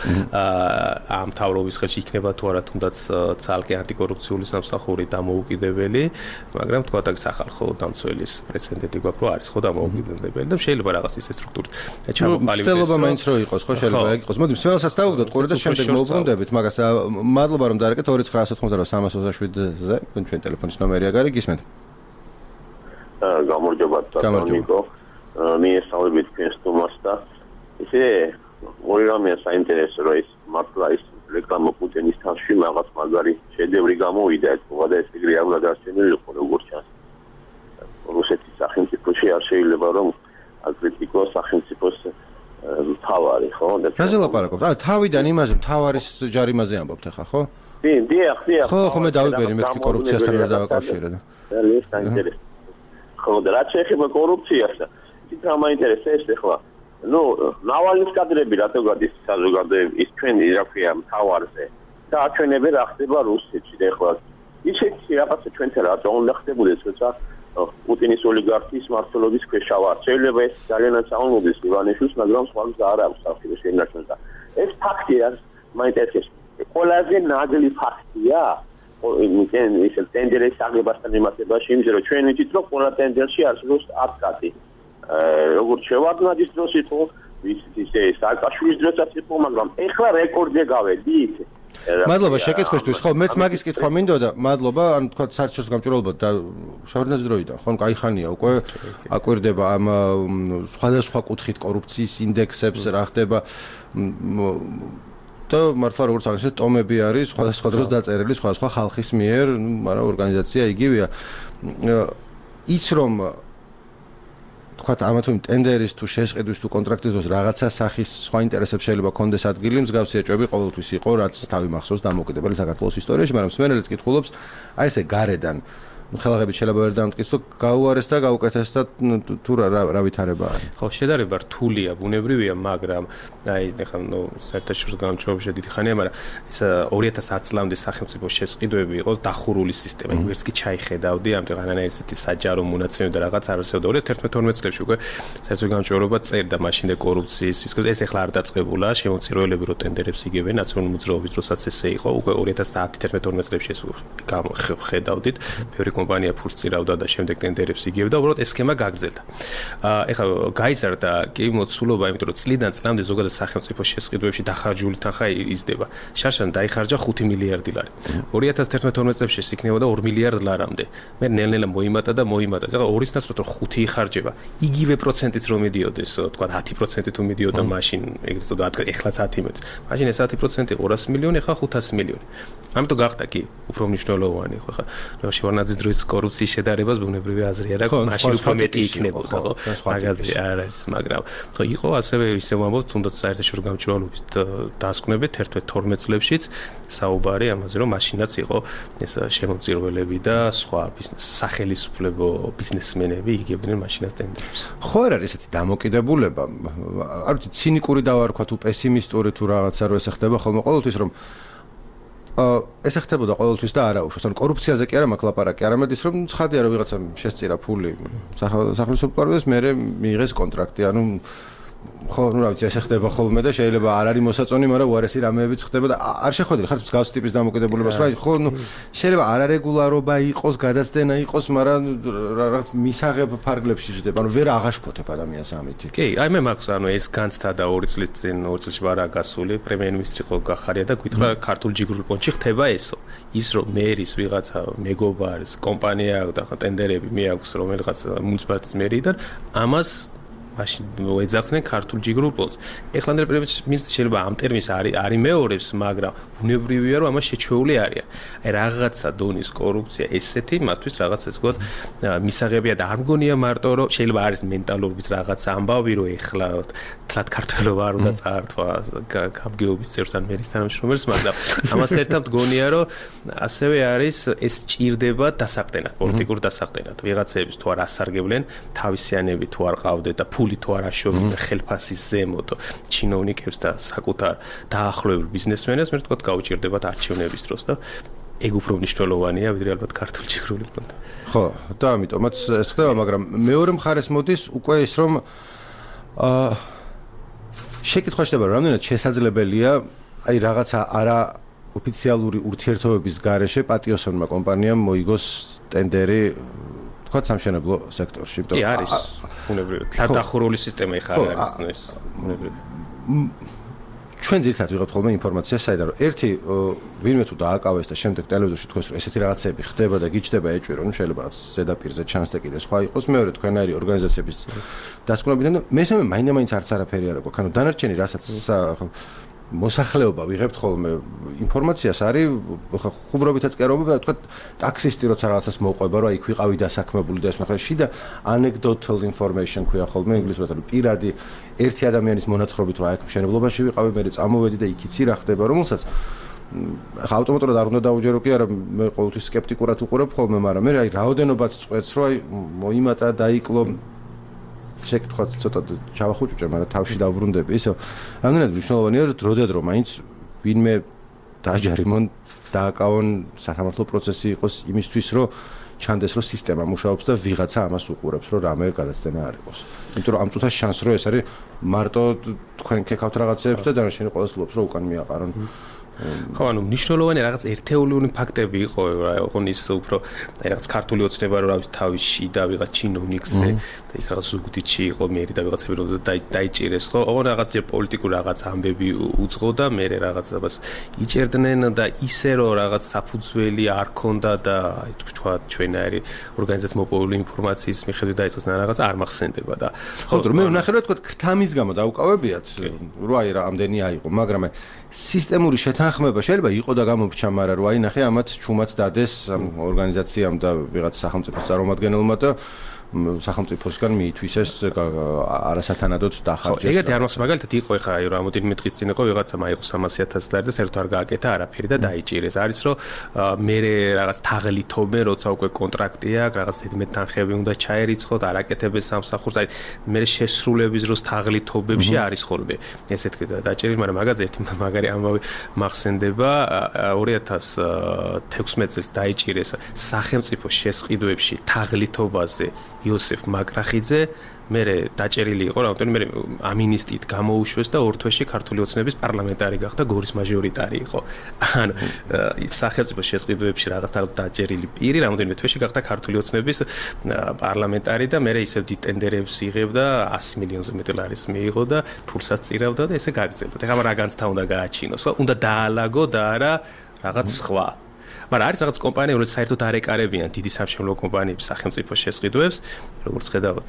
ამ თავრობის ხელში იქნება თუ არა თუნდაც ცალკე ანტიკორუფციული სამსახური დამოუკიდებელი, მაგრამ თქვა და სახალხო დამცველის პრეცედენტი გვაქვს რომ არის ხო დამოუკიდებელი და შეიძლება რაღაც ისე სტრუქტურით ჩამოყალიბდეს. ცდილობა მაინც რო იყოს, ხო შეიძლება ეგ იყოს. მოდი მსმენელსაც დავუგდოთ ყურე და შემდეგ მოვუბრუნდებით, მაგას მადლობა რომ დაარეკეთ 2990-327-ზე, ჩვენ ტელეფონის ნომერია გარი გისმენთ. გამარჯობა ნიკო. მიესალმებით თქვენს თომას და ისე ორი რამეა საინტერესო რომ ის მართლა ის რეკლამა პუტინის თავში რაღაც მაგარი შედევრი გამოვიდა ეთქვა და ეს ეგრე არ გადაარჩენილი იყო როგორც ჩანს. რუსეთის სახელმწიფოში არ შეიძლება რომ აკრიტიკო სახელმწიფოს თავარი ხო? რაზე ლაპარაკობთ? თავიდან იმაზე თავარის ჯარიმაზე ამბობთ ახლა ხო? დიახ. ხო, მე დავიბერი მეთქი კორუფციასთან რა დავაკავშირე და. ეს საინტერესო. ხო, და რაც შეეხება კორუფციას, ის რა მაინტერესებს ახლა? ნუ ნავალნის კადრები რატო გადის საზოგადოების ჩვენ რა ქვია მთავარზე და აჩვენებენ რა ხდება რუსეთში და ახლა ისეთი რაღაცა ჩვენთან რატო უნდა ხდებოდეს როცა პუტინის ოლიგარქიის მმართველობის ქვეშ ვარ შეიძლება ეს ძალიან აცალმოდეს ივანიშვილს მაგრამ სხვა გზა არ აქვს ახლა შეინარჩუნოს და ეს ფაქტია მაინტერესებს ყველაზე ნაგლი ფაქტია ისე ტენდერის აღებასთან მიმართებაში იმის რომ ჩვენ ვიცით რომ ყველა ტენდერში არსებობს ათკატი როგორც შევარდნად ის დროს იყო, ისე სააკაშვილის დროსაც იყო, მაგრამ ეხლა რეკორდზე გავედით. მადლობა შეკითხვისთვის. ხო, მეც მაგის კითხვა მინდოდა. მადლობა, ან თქვა საერთაშორისო გამჭვირვალობა და შევარდნაძის დროიდან. ხო, კაი ხანია უკვე აკვირდება ამ სხვადასხვა კუთხით კორუფციის ინდექსებს, რა ხდება და მართლა როგორც აღნიშნეთ, ტომები არის სხვადასხვა დროს დაწერილი სხვადასხვა ხალხის მიერ, მაგრამ ორგანიზაცია იგივეა. ის რომ თქვათ ამა თუ იმ ტენდერის თუ შესყიდვის თუ კონტრაქტის დროს რაღაცა სახის სხვა ინტერესებს შეიძლება კონდეს ადგილი, მსგავსი ეჭვები ყოველთვის იყო, რაც თავი მახსოვს დამოუკიდებელი საქართველოს ისტორიაში, მაგრამ სმენელიც კითხულობს, აი ესე გარედან ხელაღებით შეიძლება ვერ დამტკიცო, გაუარეს და გაუკეთეს და თუ რა ვითარება არის. ხო, შედარება რთულია, ბუნებრივია, მაგრამ აი ეხლა საერთაშორისო გამჭრობებში დიდი ხანია, მაგრამ ეს 2010 წლამდე სახელმწიფო შესყიდვები იყო დახურული სისტემა. ვერც კი ჩაიხედავდი, ამიტომ რანაირი ესეთი საჯარო მონაცემები და რაღაც არ არსებობდა. 2011-12 წლებში უკვე საერთაშორისო გამჭრობა წერდა მაშინ და კორუფციის რისკებს. ეს ეხლა არ დაწყებულა, შემოწირულები რო ტენდერებს იგებენ ნაციონალური მოძრაობის დროსაც ესე იყო, უკვე 2010-11-12 წლებში ეს ხედავდით. ბევრი კომპანია ფულს წირავდა და შემდეგ ტენდერებს იგებდა, უბრალოდ ეს სქემა გაგრძელდა. ეხლა გაიზარდა კი მოცულობა, იმიტომ რომ წლიდან წლამდე ზოგადად სახელმწიფო შესყიდვებში დახარჯული თანხა იზრდება. შარშან დაიხარჯა 5 მილიარდი ლარი. 2011-12 წლებში ეს იქნებოდა 2 მილიარდ ლარამდე. მე ნელ-ნელა მოიმატა და მოიმატა. ეხლა 2-ის ნაცვლად 5 იხარჯება. იგივე პროცენტით რომ მიდიოდეს, თქვა 10% თუ მიდიოდა მაშინ, ეგრეთ წოდათ, ეხლაც 10 მეტს. მაშინ ეს 10% 200 მილიონი, ეხლა 500 მილიონი. ამიტომ გახდა კი უფრო მნიშვნელოვანი ხო ხა. შევარნაძის დროის კორუფციის შედარებას ბუნებრივი აზრი არა, მაშინ უფრო მეტი იქნებოდა, ხო? მაგაზე არ არის, მაგრამ ხო იყო ასევე ისე ვამბობ, თუნდაც საერთაშორისო გამჭრალობის დასკვნებით 11-12 წლებშიც საუბარი ამაზე, რომ მაშინაც იყო ეს შემოწირულები და სხვა სახელისუფლებო ბიზნესმენები იგებდნენ მაშინაც ტენდერებს. ხო არ არის ესეთი დამოკიდებულება, არ ვიცი, ცინიკური დავარქვა თუ პესიმისტური თუ რაღაცა რო ესე ხდება ხოლმე ყოველთვის რომ ეს ხდებოდა ყოველთვის და არაუშვეს. ანუ კორუფციაზე კი არა მაქვს ლაპარაკი, არამედ ის რომ ცხადია რომ ვიღაცამ შესწირა ფული სახელმწიფოს მე მიიღეს კონტრაქტი, ანუ ხო, ну, რა ვიცი, ეს ხდება ხოლმე და შეიძლება არ არის მოსაწონი, მაგრამ უარესი რამეებიც ხდება და არ შეხვედრි ხართ მსგავსი ტიპის დამოკიდებულებას, რა, ხო, ну, შეიძლება არარეგულარობა იყოს, გადაცდენა იყოს, მაგრამ რაღაც მისაღებ ფარგლებში ჯდება, ანუ ვერ აღაშფოთებ ადამიანს ამით. კი, აი მე მაქვს, ანუ ეს განცდა და 2 წლის წინ 2 წელში ვარა გასული, პრემიერ-მინისტრი ხო გახარია და გითხრა ქართულ ჯიგრულ პონჩი ხდება ესო. ის რომ მერის ვიღაცა მეგობარის კომპანია და ხო ტენდერები მე აქვს რომელიღაც მუნიციპალიტეტის მერიდან, ამას მაშინ ეძახდნენ ქართულ ჯიგრულ პონს. ეხლა პრემიერ-მინისტრი შეიძლება ამ ტერმინს არ იმეორებს, მაგრამ ბუნებრივია რომ ამას შეჩვეული არიან. აი რაღაცა დონის კორუფცია ესეთი, მათთვის რაღაც ეს ვთქვათ, მისაღებია და არ მგონია მარტო რომ შეიძლება არის მენტალურობის რაღაც ამბავი, რომ ეხლა თლად ქართველობა არ უნდა წაართვა გამგეობის წევრს ან მერის თანამშრომელს, მაგრამ ამას ერთად მგონია რომ ასევე არის ეს ჭირდება დასაყრდენად, პოლიტიკურ დასაყრდენად. ვიღაცების თუ არ ასარგებლენ, თავისიანები თუ არ ყავდეთ და ფული თუ არ აშოვებენ ხელფასის ზემოთ ჩინოვნიკებს და საკუთარ დაახლოებულ ბიზნესმენებს, მე ვთქვათ, გაუჭირდებათ არჩევნების დროს და ეგ უფრო მნიშვნელოვანია, ვიდრე ალბათ ქართული ჯიგრული პონტი. ხო, და ამიტომაც ეს ხდება, მაგრამ მეორე მხარეს მოდის უკვე ის რომ შეკითხვა ხდება, რამდენად შესაძლებელია აი რაღაცა არა ოფიციალური ურთიერთობების გარეშე პატიოსანმა კომპანიამ მოიგოს ტენდერი თქვათ სამშენებლო სექტორში. კი არის, ბუნებრივია. დახურული სისტემა ხარ არის ეს, ბუნებრივია. ჩვენ ძირითადად ვიღებთ ხოლმე ინფორმაციას საიდან რომ ერთი ვინმე თუ დააკავეს და შემდეგ ტელევიზორში თქვენს რომ ესეთი რაღაცები ხდება და გიჩნდება ეჭვი რომ შეიძლება რაღაც ზედაპირზე ჩანს და კიდე სხვა იყოს, მეორე თქვენაერი ორგანიზაციების დასკვნებიდან და მესამე მაინდა-მაინც არც არაფერი არ აქვს. ანუ დანარჩენი რასაც მოსახლეობა ვიღებთ ხოლმე ინფორმაციას არის ხუმრობითაც კერობა თქვა ტაქსისტი როცა რაღაცას მოყვება რომ აი იქ ვიყავი დასაქმებული და ეს ნახე შიდა anecdotal information ქვია ხოლმე ინგლისურად რომ პირადი ერთი ადამიანის მონათხრობით რომ აი აქ მშენებლობაში ვიყავი მე წამოვედი და იქიცი რა ხდება რომელსაც ხა ავტომატურად არ უნდა დაუჯერო კი არა მე ყოველთვის სკეპტიკურად უყურებ ხოლმე მაგრამ მე აი რაოდენობაც წვეთს რომ აი მოიმატა დაიკლო შეკითხვა ცოტა ჩავახუჭე, მაგრამ თავში დავბრუნდები. ისე რამდენად მნიშვნელოვანია რომ დროდადრო მაინც ვინმე დააჯარიმონ, დააკავონ სასამართლო პროცესი იყოს იმისთვის, რომ ჩანდეს რომ სისტემა მუშაობს და ვიღაცა ამას უყურებს, რომ რამე გადაცდენა არ იყოს. იმიტომ რომ ამ წუთას შანს რომ ეს არის მარტო თქვენ ქეკავთ რაღაცეებს და დანარჩენი ყოველს ლობს რომ უკან მიაყარონ. ხო, ანუ მნიშვნელოვანი რაღაც ერთეულიური ფაქტები იყო, ოღონდ ის უფრო რაღაც ქართული ოცნება რომ რავი თავში და ვიღაც ჩინოვნიკზე და იქ რაღაც ზუგდიდში იყო მერი და ვიღაცები რომ დაიჭირეს, ხო? ოღონდ რაღაც პოლიტიკური რაღაც ამბები უძღო და მე რაღაცას იჭერდნენ და ისე რომ რაღაც საფუძველი არ ქონდა და აი თქვა ჩვენაერი ორგანიზაციის მოპოვებული ინფორმაციის მიხედვით დაიწყეს რაღაც არ მახსენდება და ხო, რომ მე ვნახე რომ თქვა ქრთამის გამო დაუკავებიათ, რომ აი რამდენი აიყო, მაგრამ სისტემური შეთანხმება შეიძლება იყო და გამოჩა, მაგრამ რომ აი ნახე ამათ ჩუმად დადეს ორგანიზაციამ და ვიღაც სახელმწიფოს წარმომადგენელმა და სახელმწიფოსგან მიითვისეს არასათანადოდ დახარჯეს. ხო, ეგეთი არ მოხდა, მაგალითად იყო ხა აი რამოდენიმე დღის წინ იყო ვიღაცამ აიღო 300,000 ლარი და საერთოდ არ გააკეთა არაფერი და დაიჭირეს. არის რომ მე რაღაც თაღლითობენ, როცა უკვე კონტრაქტი აქვს, რაღაც ზედმეტ თანხები უნდა ჩაერიცხოთ, არაკეთებენ სამსახურს. აი მე შესრულების დროს თაღლითობებში არის ხოლმე ესე თქვი და დაჭერილი, მაგრამ მაგაზე ერთი მაგარი ამბავი მახსენდება 2016 წელს დაიჭირეს სახელმწიფო შესყიდვებში თაღლითობაზე იოსებ მაკრახიძე მე დაჭერილი იყო რამოდენიმე ამინისტიით გამოუშვეს და ორ თვეში ქართული ოცნების პარლამენტარი გახდა გორის მაჟორიტარი იყო ანუ სახელმწიფო შესყიდვებში რაღაც დაჭერილი პირი რამოდენიმე თვეში გახდა ქართული ოცნების პარლამენტარი და მე ისევ დიტენდერებს იღებდა 100 მილიონზე მეტი ლარის მიიღო და ფულსაც წირავდა და ესე გაგრძელდა ეხლა რა განცდა უნდა გააჩინოს ხო უნდა დაალაგო და არა რაღაც სხვა მაგრამ არის რაღაც კომპანიები, რომელიც საერთოდ არ ეკარებიან დიდი სამშენებლო კომპანიების სახელმწიფო შესყიდვებს, როგორც ხედავთ,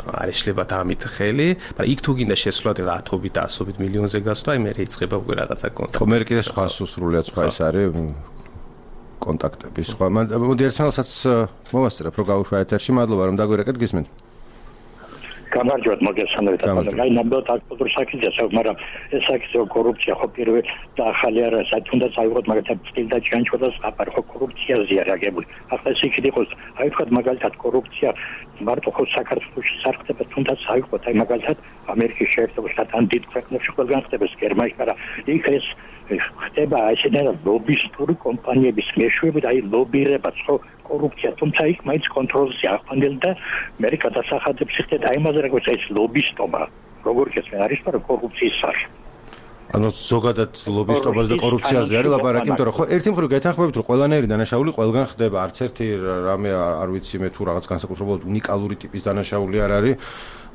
არ ეშლებათ ამით ხელი, მაგრამ იქ თუ გინდა შესვლა 10-ობით, 100-ობით მილიონზე გასვლა, აი მე რეიწყება უკვე რაღაცა კონტაქტი. ხო, მე კიდე სხვა სრულიად სხვა ის არის კონტაქტები სხვა. მოდი ერთმანეთსაც მოვასწრებ, რომ გავუშვა ეთერში, მადლობა რომ დაგვირეკეთ, გისმენთ. გამარჯვებათ მოგესალმებით და აი ნამდვილად აქტუალური საკითხია, მაგრამ ეს საკითხი კორუფცია ხო პირველ და ახალი არა, თუნდაც აიღოთ მაგალითად სტილდა ჩანჩოდა საპარ ხო კორუფციაზეა რეაგებული. ახლა ეს იქით იყოს, აი თქვა მაგალითად კორუფცია მარტო ხო საქართველოში სარხდება, თუნდაც აიღოთ აი მაგალითად ამერიკის შეერთებულ შტატთან დიდ ქვეყნებში ყველგან ხდება გერმანიაში, მაგრამ იქ ეს ხდება ესენაირად ლობისტური კომპანიების მეშვეობით, აი ლობირებაც ხო კორუფცია, თუმცა იქ მაინც კონტროლზე ახვანდელი და მე გადასახადებს ხდება აი ამაზე როგორც ეს ლობისტობა, როგორ გესმენ არის რომ კორუფციის სახე. ანუ ზოგადად ლობისტობაზე და კორუფციაზე არის ლაპარაკი, იმიტომ რომ ხო ერთი მხრივ გეთანხმებით რომ ყველანაირი დანაშაული ყველგან ხდება, არც ერთი რამე არ ვიცი მე თუ რაღაც განსაკუთრებულად უნიკალური ტიპის დანაშაული არ არის.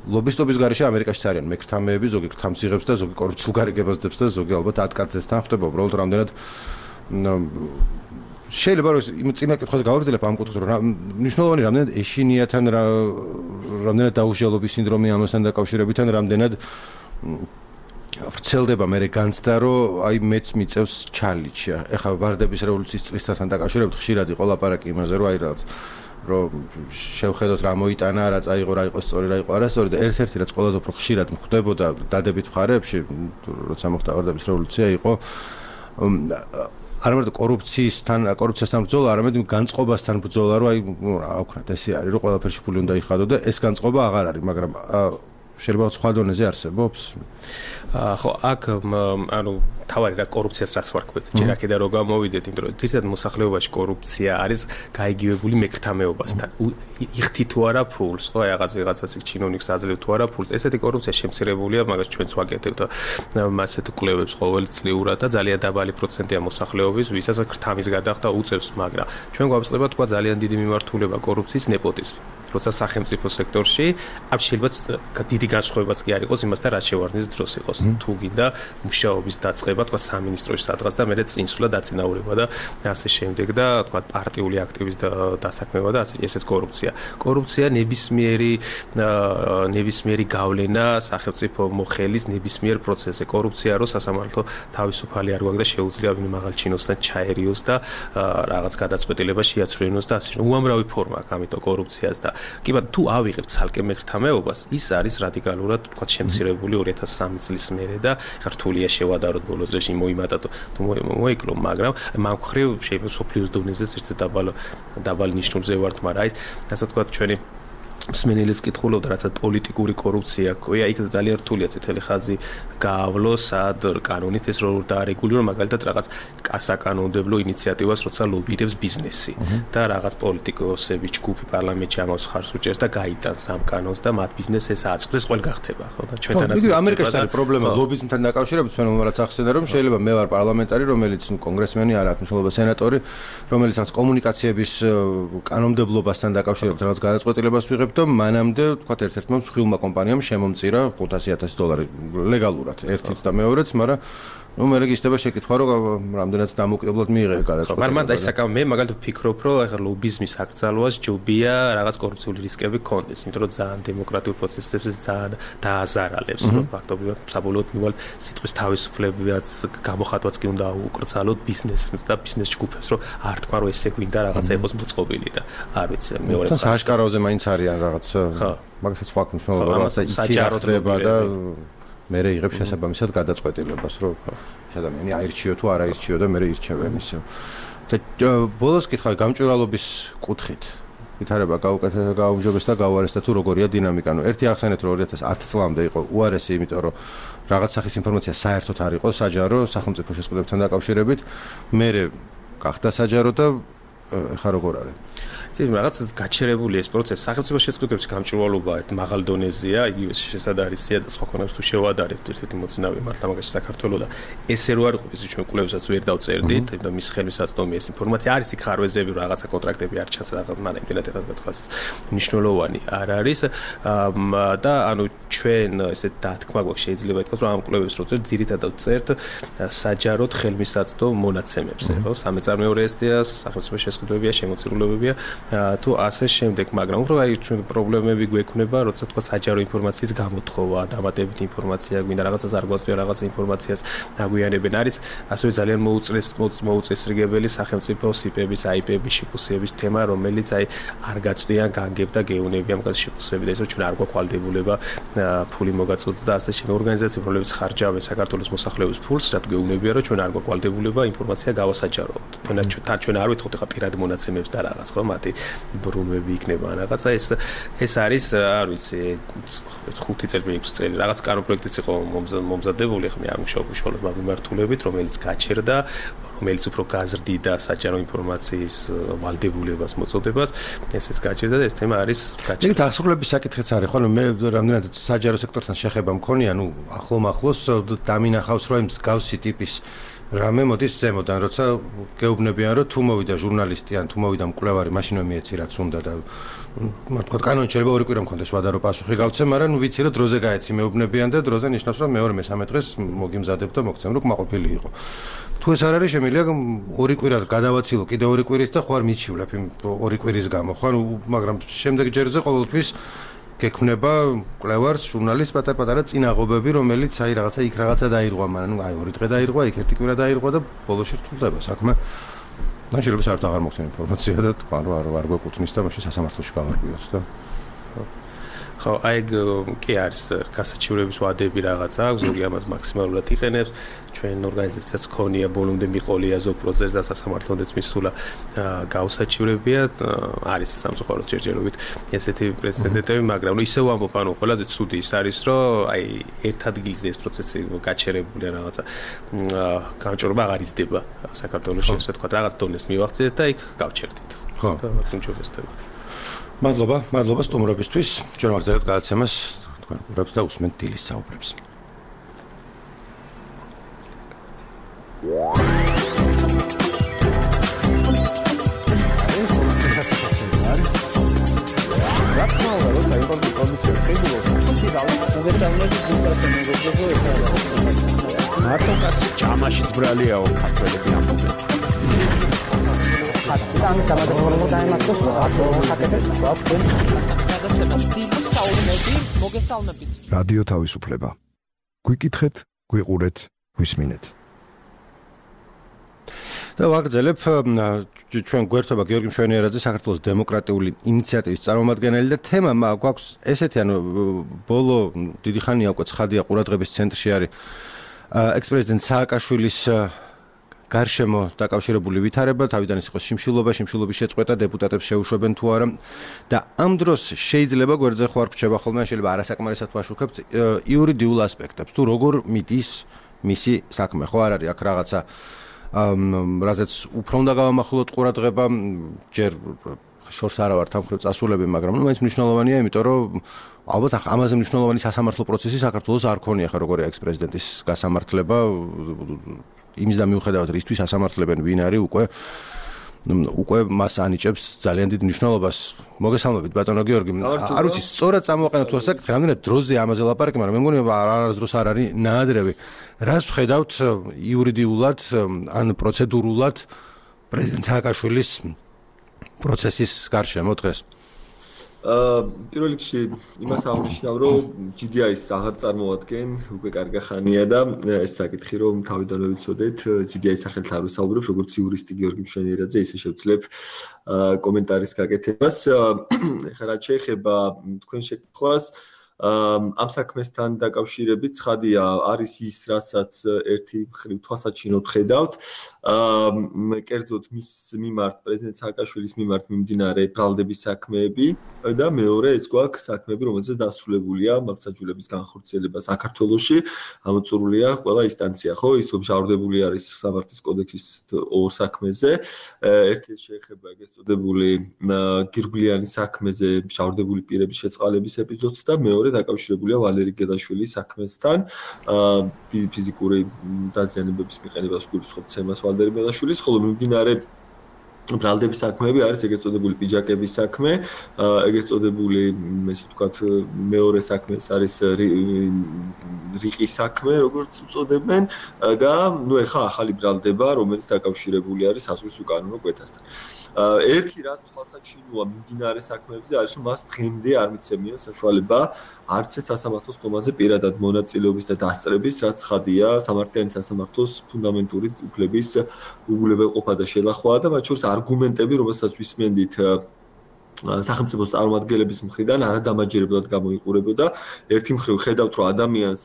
ლობისტობის გარეშე ამერიკაშიც არიან მექრთამეები, ზოგი ქრთამსიღებს და ზოგი კორუფციულ გარიგებას დებს და ზოგი ალბათ ატკაცესთან ხდება, უბრალოდ რამდენად შეიძლება რომ იმ წინა კითხვაზე გავაგრძელებ ამ კუთხით რომ მნიშვნელოვანი რამდენად ეშინიათან რამდენად დაუშალობის სინდრომი ამასთან დაკავშირებითან რამდენად ვრცელდება მე განცდა რომ აი მეც მიწევს ჩალიჩია ეხლა ვარდების რევოლუციის წლისთან დაკავშირებით ხშირად იყო ლაპარაკი იმაზე რომ აი რაღაც რომ შევხედოთ რა მოიტანა რა წაიღო რა იყო სწორი რა იყო არასწორი და ერთ-ერთი რაც ყველაზე უფრო ხშირად მხდებოდა დადებით მხარეებში როცა მოხდა ვარდების რევოლუცია იყო არა მარტო კორუფციასთან ბრძოლა, არამედ განწყობასთან ბრძოლა, რომ აი რა ვქნათ, ესე არის, რომ ყველაფერში ფული უნდა იხადო და ეს განწყობა აღარ არის, მაგრამ შეიძლება სხვა დონეზე არსებობს. ხო, აქ ანუ თავარი რა კორუფციას რას ვარქვით. ჯერ აქედან რო გამოვიდეთ, იმიტომ რომ თითქოს მოსახლეობაში კორუფცია არის გაიგივებული მექრთამეობასთან. იხთი თუ არა ფულს, ხო, რაღაცას იქ ჩინოვნიკს აძლევ თუ არა ფულს. ესეთი კორუფცია შემცირებულია, მაგას ჩვენც ვაკეთებთ მასეთ კვლევებს ყოველწლიურად და ძალიან დაბალი პროცენტია მოსახლეობის, ვისაც ქრთამის გადახდა უწევს, მაგრამ ჩვენ გვაწყდება თქვა ძალიან დიდი მიმართულება კორუფციის ნეპოტიზმი. როცა სახელმწიფო სექტორში ამ შეიძლება დიდი განსხვავებაც კი არ იყოს იმასთან, რაც შევარდნის დროს იყოს. თუ გინდა მუშაობის დაწყება, თქვა სამინისტროში სადღაც და მერე წინსვლა დაწინაურება და ასე შემდეგ და თქვა პარტიული აქტივის დასაქმება და ესეც კორუფცია. კორუფცია ნებისმიერი გავლენა სახელმწიფო მოხელის ნებისმიერ პროცესზე. კორუფცია რო სასამართლო თავისუფალი არ გვაქვს და შეუძლია ვინმე მაღალ ჩინოსთან ჩაერიოს და რაღაც გადაწყვეტილება შეაცვლინოს და ასე. უამრავი ფორმა აქვს ამიტომ კორუფციას და კი ბატონო თუ ავიღებთ ცალკე მექრთამეობას ის არის რადიკალურად თქვა შემცირებული 2003 წლის მერე და რთულია შევადაროთ ბოლოს წლებში მოიმატათო თუ მოიკლო მაგრამ მაგ მხრივ შეიძლება სოფლიოს დონეზე ერთ დაბალ ნიშნულზე ვართ მაგრამ აი ასე თქვა ჩვენი მსმენელის კითხულობდა რაცა პოლიტიკური კორუფცია ყოია იქ ძალიან რთულია წითელი ხაზი გაავლოს სად კანონით ეს რო დაარეგულირო მაგალითად რაღაც საკანონმდებლო ინიციატივას როცა ლობირებს ბიზნესი და რაღაც პოლიტიკოსები ჯგუფი პარლამენტში ამას ხარს უჭერს და გაიტანს ამ კანონს და მათ ბიზნესს ეს აწყდეს ყველ გახდება ხო და ჩვენთანაც იგი ამერიკაში არის პრობლემა ლობიზმთან დაკავშირებით ჩვენ რაც ახსენე რომ შეიძლება მე ვარ პარლამენტარი რომელიც კონგრესმენი არ აქვს მნიშვნელობა სენატორი რომელიც რაღაც კომუნიკაციების კანონმდებლობასთან დაკავშირებით რაღაც გადაწყვეტილებას ვიღებ და მანამდე თქვა ერთ-ერთმა მსხვილმა კომპანიამ შემომწირა $500,000 ლეგალურად ერთიც და მეორეც, მაგრამ ნუ მე რეგისტრება შეკითხვა რომ რამდენად დამოუკიდებლად მიიღე გადაწყვეტილება. მაგრამ მან დაისაკა მე მაგალითად ვფიქრობ რომ ახლა ლობიზმის აკრძალვას ჯობია რაღაც კორუფციული რისკები ქონდეს, იმიტომ რომ ძალიან დემოკრატიულ პროცესებს ძალიან დააზარალებს, რომ ფაქტობრივად საბოლოოდ მივალ სიტყვის თავისუფლებაც გამოხატვაც კი უნდა უკრძალოთ ბიზნესს და ბიზნეს ჯგუფებს, რომ არ თქვა რომ ესე გვინდა რაღაცა იყოს მოწყობილი და არ ვიცი მეორე თან საშკაროზე მაინც არიან რაღაც მაგასაც ფაქტს მნიშვნელობა რაღაცა იცი და მე იღებს შესაბამისად გადაწყვეტილებას, რომ ეს ადამიანი აირჩიო თუ არ აირჩიო და მე ირჩევენ ისე. და ბოლოს კითხავი გამჭვირვალობის კუთხით. ვითარება გაუმჯობეს და გავარეს და თუ როგორია დინამიკა. ნუ ერთი ახსენეთ რომ 2010 წლამდე იყო უარესი, იმიტომ რომ რაღაც სახის ინფორმაცია საერთოდ არ იყო საჯარო სახელმწიფო შესყიდვებთან დაკავშირებით. მე გახდა საჯარო და ეხა როგორ არის? რაღაც გაჩერებული ეს პროცესი სახელმწიფო შეწყდების გამჭვირვალობა მაღალ დონეზეა, იგივე შესაძარისია და სხვა კონებს თუ შევადარებთ ერთ-ერთი მოწინავე მართლა მაგაში საქართველოს და ესე რო არ ყოფის ჩვენ კვლევებსაც ვერ დავწერდით და მის ხელმისაწვდომია ეს ინფორმაცია არის იქ ხარვეზები რომ რაღაცა კონტრაქტები არ ჩანს რაღაც მაგრამ იმდენად ეხლა მნიშვნელოვანი არ არის და ანუ ჩვენ ესე დათქმა გვაქვს შეიძლება ითქვას რომ ამ კვლევებს რო წერთ ძირითადად წერთ საჯაროდ ხელმისაწვდომ მონაცემებს ხო სამეწარმეო რეესტრია სახელმწიფო შესყიდვებია შემოწირულობებია თუ ასე შემდეგ, მაგრამ უფრო აი ჩვენ პრობლემები გვექნება, როცა თქვა საჯარო ინფორმაციის გამოთხოვა, დამატებითი ინფორმაცია გვინდა, რაღაცას არ გვაწვია, რაღაც ინფორმაციას აგვიანებენ. არის ასევე ძალიან მოუწესრიგებელი სახელმწიფო სიპების, IP-ების, შიფუსების თემა, რომელიც აი არ გაწვდიან განგებ და გეუნებიან მაგას შიფუსები და ისო ჩვენ არ გვაქვს ვალდებულება ფული მოგაწოდოთ და ასე შემდეგ ორგანიზაციები, რომლებიც ხარჯავენ საქართველოს მოსახლეობის ფულს, რაც გეუნებია, რომ ჩვენ არ გვაქვს ვალდებულება ინფორმაცია გავასაჯაროთ. ჩვენ არ ვითხოვთ ახლა პირად მონაცემებს და რაღაც ხო მათი ბრუნვები იქნება რაღაცა ეს არის არ ვიცი 5 წელი 6 წელი რაღაც კანონპროექტიც იყო მომზადებული ხმე არ მუშაობ უშუალოდ მიმართულებით რომელიც გაჩერდა რომელიც უფრო გაზრდიდა საჯარო ინფორმაციის ვალდებულებას მოწოდებას ეს გაჩერდა და ეს თემა არის გაჩერდა. იქ აღსრულების საკითხიც არის ხო მე რამდენად საჯარო სექტორთან შეხება მქონია ნუ ახლომახლოს დამინახავს რომ მსგავსი ტიპის რამე მოდის ზემოდან, როცა გეუბნებიან, რომ თუ მოვიდა ჟურნალისტი ან თუ მოვიდა მკვლევარი, მაშინ მეეცი რაც უნდა და თქვა კანონი შეიძლება ორი კვირა მქონდეს ვადარო პასუხი გავცემ, მაგრამ ნუ ვიცი რომ დროზე გაეცი მეუბნებიან და დროზე ნიშნავს რომ მეორე მესამე დღეს მოგიმზადებ და მოგცემ რომ კმაყოფილი იყო. თუ ეს არ არის შემიძლია ორი კვირა გადავაცილო კიდე ორი კვირით და ხო არ მიჩივლებ იმ ორი კვირის გამო, ხო მაგრამ შემდეგ ჯერზე ყოველთვის გექმნება კვლევარს ჟურნალისტს პატარ-პატარა წინაღობები, რომელიც აი რაღაცა იქ რაღაცა დაირღვა, მაგრამ აი ორი დღე დაირღვა, იქ ერთი კვირა დაირღვა და ბოლოში რთულდება საქმე. და შეიძლება საერთოდ აღარ მოგცემ ინფორმაცია და თქვა რომ არ გვეკუთვნის და მაშინ სასამართლოში გავარკვიოთ და ხო აი კი არის გასაჩივრების ვადები რაღაცა აქვს, ზოგი ამას მაქსიმალურად იყენებს. ჩვენ ორგანიზაციაც ქონია ბოლომდე მიყოლია ზოგ პროცესს და სასამართლოდაც მისულა გაუსაჩივრებია არის სამწუხაროდ ჯერჯერობით ესეთი პრეცედენტები, მაგრამ ისე ვამბობ, ანუ ყველაზე ცუდი ის არის, რომ აი ერთ ადგილზე ეს პროცესი გაჩერებულია რაღაცა გამჭვირვალობა აღარ იზრდება საქართველოში, ასე თქვა, რაღაც დონეს მივახციეთ და იქ გავჩერდით. ხო, უმჯობესდება. მადლობა სტუმრობისთვის. ჩვენ ვაგრძელებთ გადაცემას, თქვენ ყურებთ და უსმენთ დილის საუბრებს. მარტო კაცი ჯამაშიც ბრალიაო ქართველები ამბობენ. ამის დამატებულად დაემართოს რადიო თავისუფლება. გვიკითხეთ, გვიყურეთ, გვისმინეთ. და ვაგრძელებ ჩვენ გვერდობა გიორგი მშვენიერაძე საქართველოს დემოკრატიული ინიციატივის წარმომადგენელი და თემა გვაქვს ესეთი ანუ ბოლო დიდი ხანია უკვე ცხადია ყურადღების ცენტრში არის ექს-პრეზიდენტ სააკაშვილის გარშემო დაკავშირებული ვითარება, თავიდან ის იყო შიმშილობის შეწყვეტა, დეპუტატებს შეუშვებენ თუ არა და ამ დროს შეიძლება გვერდზე ხო არ გრჩება ხოლმე, შეიძლება არასაკმარისად ვაშუქებთ იურიდიულ ასპექტებს, თუ როგორ მიდის მისი საქმე, ხო არ არის აქ რაღაცა რაზეც უფრო უნდა გავამახვილოთ ყურადღება, ჯერ შორს არა ვარ თამხრებ წასულები, მაგრამ ნუ მაინც მნიშვნელოვანია, იმიტომ რომ ალბათ ამაზე მნიშვნელოვანი სასამართლო პროცესი საქართველოს არ ქონია ხა როგორია ექს-პრეზიდენტის გასამართლება იმის და მიუხედავად რისთვის ასამართლებენ ვინ არის უკვე უკვე მას ანიჭებს ძალიან დიდ მნიშვნელობას. მოგესალმებით ბატონო გიორგი. არ ვიცი, სწორად წამოვაყენოთ თუ ასაკეთ, რამდენად დროზე ამაზე ლაპარაკი, მაგრამ მე მგონი არასდროს არ არის ნაადრევი. რას ვხედავთ იურიდიულად ან პროცედურულად პრეზიდენტ სააკაშვილის პროცესის გარშემო დღეს? პირველ რიგში იმას აღნიშნავ, რომ GDI-ს აღარ წარმოადგენ უკვე კარგი ხანია და ეს საკითხი რომ თავიდანვე ვიცოდეთ, GDI-ის სახელით არ ვისაუბრებ, როგორც იურისტი გიორგი მშვენიერაძე, ისე შევძლებ კომენტარის გაკეთებას. ეხლა რაც შეეხება თქვენ შეკითხვას, ამ საქმესთან დაკავშირებით ცხადია არის ის, რასაც ერთი მხრივ თვალსაჩინოდ ხედავთ, კერძოდ მის მიმართ პრეზიდენტ სააკაშვილის მიმართ მიმდინარე ბრალდების საქმეები და მეორე ეს გვაქვს საქმეები, რომელზეც დასრულებულია მართლმსაჯულების განხორციელება საქართველოში, ამოწურულია ყველა ინსტანცია, ხო? ის მჟავრდებული არის სამართლის კოდექსის ორ საქმეზე, ერთი შეეხება ეგრეთ წოდებული გირგვლიანი საქმეზე მჟავრდებული პირების შეწყალების ეპიზოდს და მეორე დაკავშირებულია ვალერი გედაშვილის საქმესთან, ფიზიკური დაზიანებების მიყენებას გულისხმობს ცემას ვალერი გედაშვილის, ხოლო მიმდინარე ბრალდების საქმეები არის ეგრეთ წოდებული პიჯაკების საქმე, ეგრეთ წოდებული, ესე ვთქვათ, მეორე საქმე არის რიყის საქმე, როგორც უწოდებენ და ნუ ეხა ახალი ბრალდება, რომელიც დაკავშირებული არის საზღვრის უკანონო კვეთასთან. ერთი რაც თვალსაჩინოა მიმდინარე საქმეებზე არის, რომ მას დღემდე არ მიცემია საშუალება არც ეს სასამართლოს თომაზე პირადად მონაწილეობის და დასწრების, რაც ცხადია სამართლიანი სასამართლოს ფუნდამენტური უფლების უგულებელყოფა და შელახვაა და მათ შორის არგუმენტები, რომელსაც ვისმენდით სახელმწიფოს წარმომადგენლების მხრიდან არადამაჯერებლად გამოიყურებოდა. ერთი მხრივ ხედავთ, რომ ადამიანს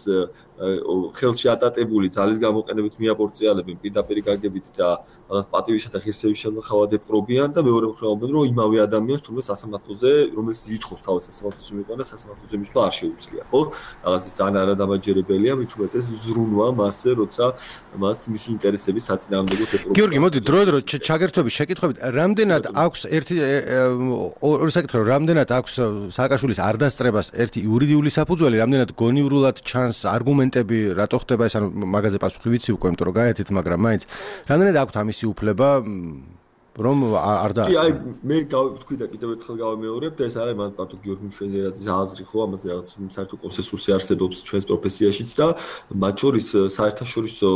ხელში ატატებული ძალის გამოყენებით მიაპორწიალებენ პირდაპირ გაგებით და პატივისა და ღირსების შელახავად ეპყრობიან და მეორე მხრივ ამბობენ, რომ იმავე ადამიანს თუმცა სასამართლოზე, რომელიც ითხოვს თავად სასამართლოს მიყვანა, სასამართლოზე მისვლა არ შეუძლია, ხო? რაღაც ის ძალიან არადამაჯერებელია, მით უმეტეს ზრუნვა მასზე, როცა მას მისი ინტერესების საწინააღმდეგოდ ეპყრობიან. გიორგი, მოდი დრო ჩაგერთვების შეკითხვებით, რამდენად აქვს ერთი ორი საკითხი, რამდენად აქვს სააკაშვილის არ დასწრებას ერთი იურიდიული საფუძველი, რამდენად გონივრულად ჩანს არგუმენტები, რატო ხდება ეს, ანუ მაგაზე პასუხი ვიცი უკვე, იმიტომ რომ გაეცით, მაგრამ მაინც რამდენად აქვს ამისი უფლება, რომ არ და კი, აი მე გავთქვი და კიდევ ერთხელ გავამეორებ და ეს არის მან პარტო გიორგი მშვენიერაძის აზრი, ხო, ამაზე რაღაც საერთო კონსენსუსი არსებობს ჩვენს პროფესიაშიც და მათ შორის საერთაშორისო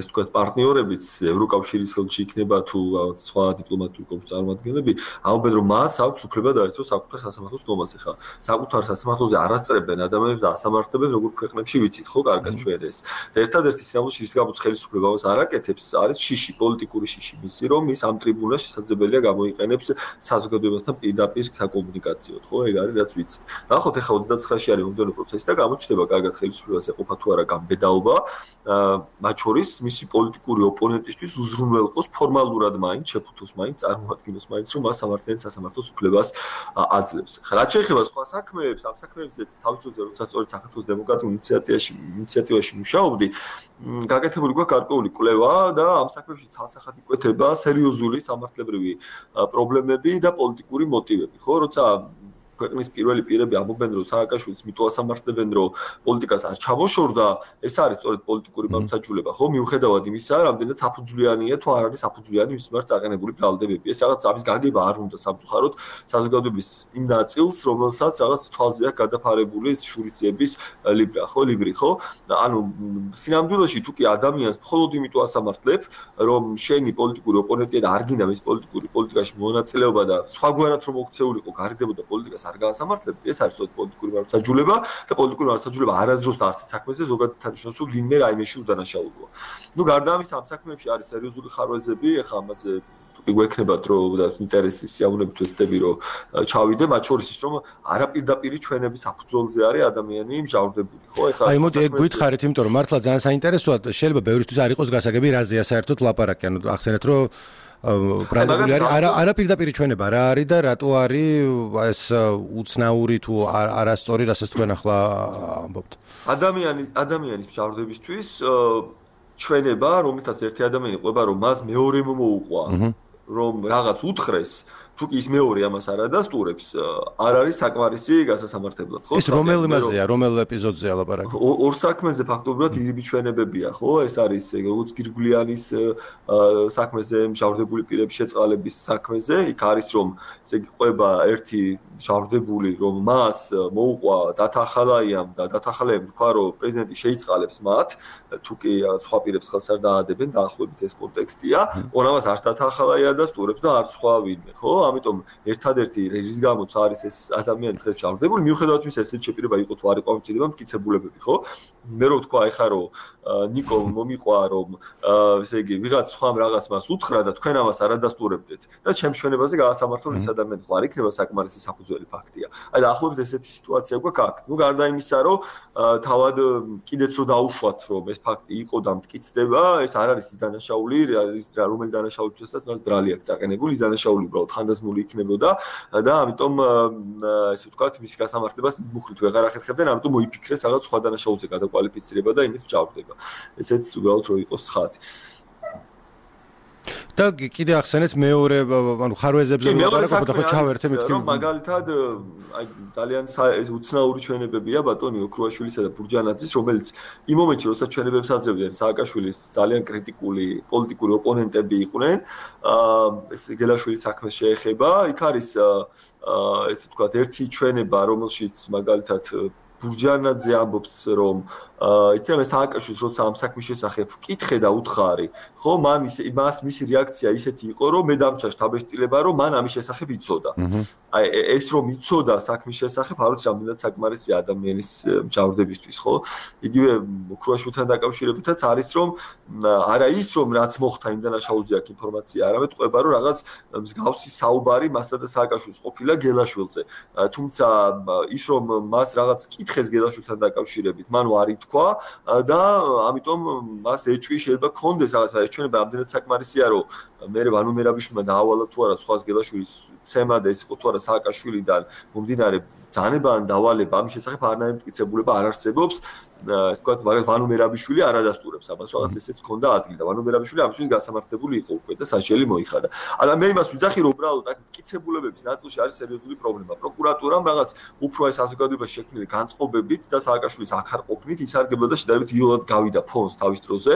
ეს თქვა პარტნიორებიც ევროკავშირის ხელში იქნება თუ რაღაც სხვა დიპლომატიური კორპუსის წარმომადგენლები, ამბობენ რომ მას აქვს უფლება დაესწროს საკუთარ სასამართლოს თომაზე, ხა. საკუთარ სასამართლოზე არ ასწრებენ ადამიანებს და ასამართლებენ როგორ ქვეყნებში ვიცით, ხო, კარგად ჩვენ ეს. და ერთადერთი სიამოვნებაში ის გამოც ხელისუფლებას არაკეთებს, არის შიში, პოლიტიკური შიში მისი, რომ ის ამ ტრიბუნას შესაძლებელია გამოიყენებს საზოგადოებასთან პირდაპირ საკომუნიკაციოდ, ხო, ეგ არის რაც ვიცით. ნახოთ ახლა 29-ში არის მომდევნო პროცესი და გამოჩნდება კარგად ხელისუფლებას ეყოფა თუ არა გამბედაობა, მათ შორის მისი პოლიტიკური ოპონენტისთვის უზრუნველყოს ფორმალურად მაინც, შეფუთოს მაინც, წარმოადგინოს მაინც, რომ მას სამართლიანი სასამართლოს უფლებას აძლევს. ხა რაც შეეხება სხვა საქმეებს, ამ საქმეებზეც თავისუფლად როცა სწორედ საქართველოს დემოკრატიულ ინიციატივაში მუშაობდი, გაკეთებული გვაქვს გარკვეული კვლევა და ამ საქმეებში ცალსახად იკვეთება სერიოზული სამართლებრივი პრობლემები და პოლიტიკური მოტივები, ხო, როცა ქვეყნის პირველი პირები ამბობენ, რომ სააკაშვილის მიტოვასამართლებენ, რომ პოლიტიკას არ ჩამოშორდა, ეს არის სწორედ პოლიტიკური მართლმსაჯულება, ხო, მიუხედავად იმისა, რამდენად საფუძვლიანია თუ არ არის საფუძვლიანი მის მიმართ წაყენებული ბრალდებები. ეს რაღაც ამის გაგება არ უნდა სამწუხაროდ საზოგადოების იმ ნაწილს, რომელსაც რაღაც თვალზე აქვს გადაფარებული შურიციების ლიბრი, ხო? ანუ სინამდვილეში თუ კი ადამიანს მხოლოდ იმიტომ ასამართლებ, რომ შენი პოლიტიკური ოპონენტია და არ გინდა მის პოლიტიკაში მონაწილეობა და სხვაგვარად რომ მოქცეულიყო, გარიდებოდა პოლიტიკას არ გაასამართლებთ, ეს არის სწორედ პოლიტიკური მართლმსაჯულება და პოლიტიკური მართლმსაჯულება არასდროს არც საქმეზე ზოგადად თანაშემწე ვინმე რაიმეში უდანაშაულოა. ნუ გარდა ამისა ამ საქმეებში არის სერიოზული ხარვეზები, ეხლა ამაზე გვექნებათ რომ და ინტერესის სიამოვნებით ვეცდები რომ ჩავიდე, მათ შორის ის რომ არაპირდაპირი ჩვენების საფუძველზე არის ადამიანი მჟავრდებული, ხო? ეხლა აი მოდი ეგ გითხარით, იმიტომ რომ მართლა ძალიან საინტერესოა, შეიძლება ბევრისთვის არ იყოს გასაგები რაზეა საერთოდ ლაპარაკი, ანუ ახსენეთ რომ ბრალდებული არაპირდაპირი ჩვენება რა არის და რატო არის ეს უცნაური თუ არასწორი, რასაც თქვენ ახლა ამბობთ. ადამიანის მჟავრდებისთვის ჩვენება, რომელსაც ერთი ადამიანი ყვება, რომ მას მეორე მომოუყვა, რომ რაღაც უთხრეს თუ კი ის მეორე ამას არ ადასტურებს, არ არის საკმარისი გასასამართებლად, ხო? ეს რომელ იმაზეა, რომელ ეპიზოდზეა ლაპარაკი? ორ საქმეზე ფაქტობრივად ირიბი ჩვენებებია, ხო? ეს არის როგორც გირგვლიანის საქმეზე, მჟავრდებული პირების შეწყალების საქმეზე, იქ არის რომ ესე იგი ყვება ერთი მჟავრდებული, რომ მას მოუყვა დათახალაიამ და დათახალაიამ თქვა, რომ პრეზიდენტი შეიწყალებს მათ, თუ კი სხვა პირებს ხელს არ დაადებენ, დაახლოებით ეს კონტექსტია, ორამას არც დათახალაია ადასტურებს და არც სხვა ვინმე, ხო? ამიტომ ერთადერთი რის გამოც არის ეს ადამიანი დღეს მჟავრდებული, მიუხედავად იმისა, ესეთ შეპირება იყო თუ არ იყო ამჭირდება მტკიცებულებები, ხო? მე რო ვთქვა ეხა რომ ნიკო მომიყვა რომ ესე იგი ვიღაც სხვამ რაღაც მას უთხრა და თქვენ ამას არ ადასტურებდეთ და ჩემს ჩვენებაზე გაასამართლონ ეს ადამიანი ხო არ იქნება საკმარისი საფუძველი ფაქტია. აი და ახლობით ესეთი სიტუაცია გვაქვს აქ. ნუ გარდა იმისა რომ თავად კიდეც რო დაუშვათ რომ ეს ფაქტი იყო და მტკიცდება, ეს არ არის ის დანაშაული, რომელი დანაშაულებსაც მას ბრალი აქვს წაყენებული, ის დანაშაული უბრალოდ ხანდაზმული იქნებოდა და ამიტომ ესე ვთქვათ მისი გასამართლებას მუხლით ვეღარ ახერხებდნენ, ამიტომ მოიფიქრეს რაღაც სხვა დანაშაულზე გადაკვალიფიცირება და იმით მჭავდება. ესეც უბრალოდ რო იყოს ცხადი. და კიდე ახსენეთ მეორე, ანუ ხარვეზებზე ვიყავით და ხო ჩავერთე მეთქი. რომ მაგალითად აი ძალიან უცნაური ჩვენებებია ბატონი ოქრუაშვილისა და ბურჯანაძის, რომელიც იმ მომენტში, როცა ჩვენებებს აძლევდნენ სააკაშვილის ძალიან კრიტიკული პოლიტიკური ოპონენტები იყვნენ, ეს გელაშვილის საქმეს შეეხება, იქ არის ესე ვთქვათ ერთი ჩვენება, რომელშიც მაგალითად ბურჯანაძე ამბობს რომ იცი სააკაშვილს როცა ამ საქმის შესახებ ვკითხე და უთხარი, ხო, მას მისი რეაქცია ისეთი იყო, რომ მე დამჭა შთაბეჭდილება, რომ მან ამის შესახებ იცოდა. აი ეს რომ იცოდა საქმის შესახებ, არ ვიცი რამდენად საკმარისია ადამიანის მჟავრდებისთვის, ხო? იგივე ოქრუაშვილთან დაკავშირებითაც არის რომ არა ის რომ რაც მოხდა იმ დანაშაულზე აქ ინფორმაცია, არამედ ყვება რომ რაღაც მსგავსი საუბარი მასა და სააკაშვილს ყოფილა გელაშვილზე. თუმცა ის რომ მას რაღაც კითხეს გელაშვილთან დაკავშირებით, მან არ ითქვა და ამიტომ მას ეჭვი შეიძლება ქონდეს რაღაც, მაგრამ ჩვენება ამდენად საკმარისია, რომ მე ვანო მერაბიშვილმა დაავალა თუ არა სხვას გელაშვილის ცემა და ეს იყო თუ არა სააკაშვილიდან მომდინარე ძანება ან დავალება, ამის შესახებ არანაირი მტკიცებულება არ არსებობს. ეს თქვა მაგალითად ვანო მერაბიშვილი არ ადასტურებს ამას, რაღაც ესეც ქონდა ადგილი და ვანო მერაბიშვილი ამისთვის გასამართლებული იყო უკვე და საჭიელი მოიხადა. αλλά მე იმას ვიძახი, რომ უბრალოდ აქ მტკიცებულებების ნაწილში არის სერიოზული პრობლემა. პროკურატურამ რაღაც უფრო აი საზოგადოებაში შექმნილი განწყობებით და სააკაშვილის აქ არ ყოფნით ისარგებლა და შედარებით იოლად გავიდა ფონს თავის დროზე,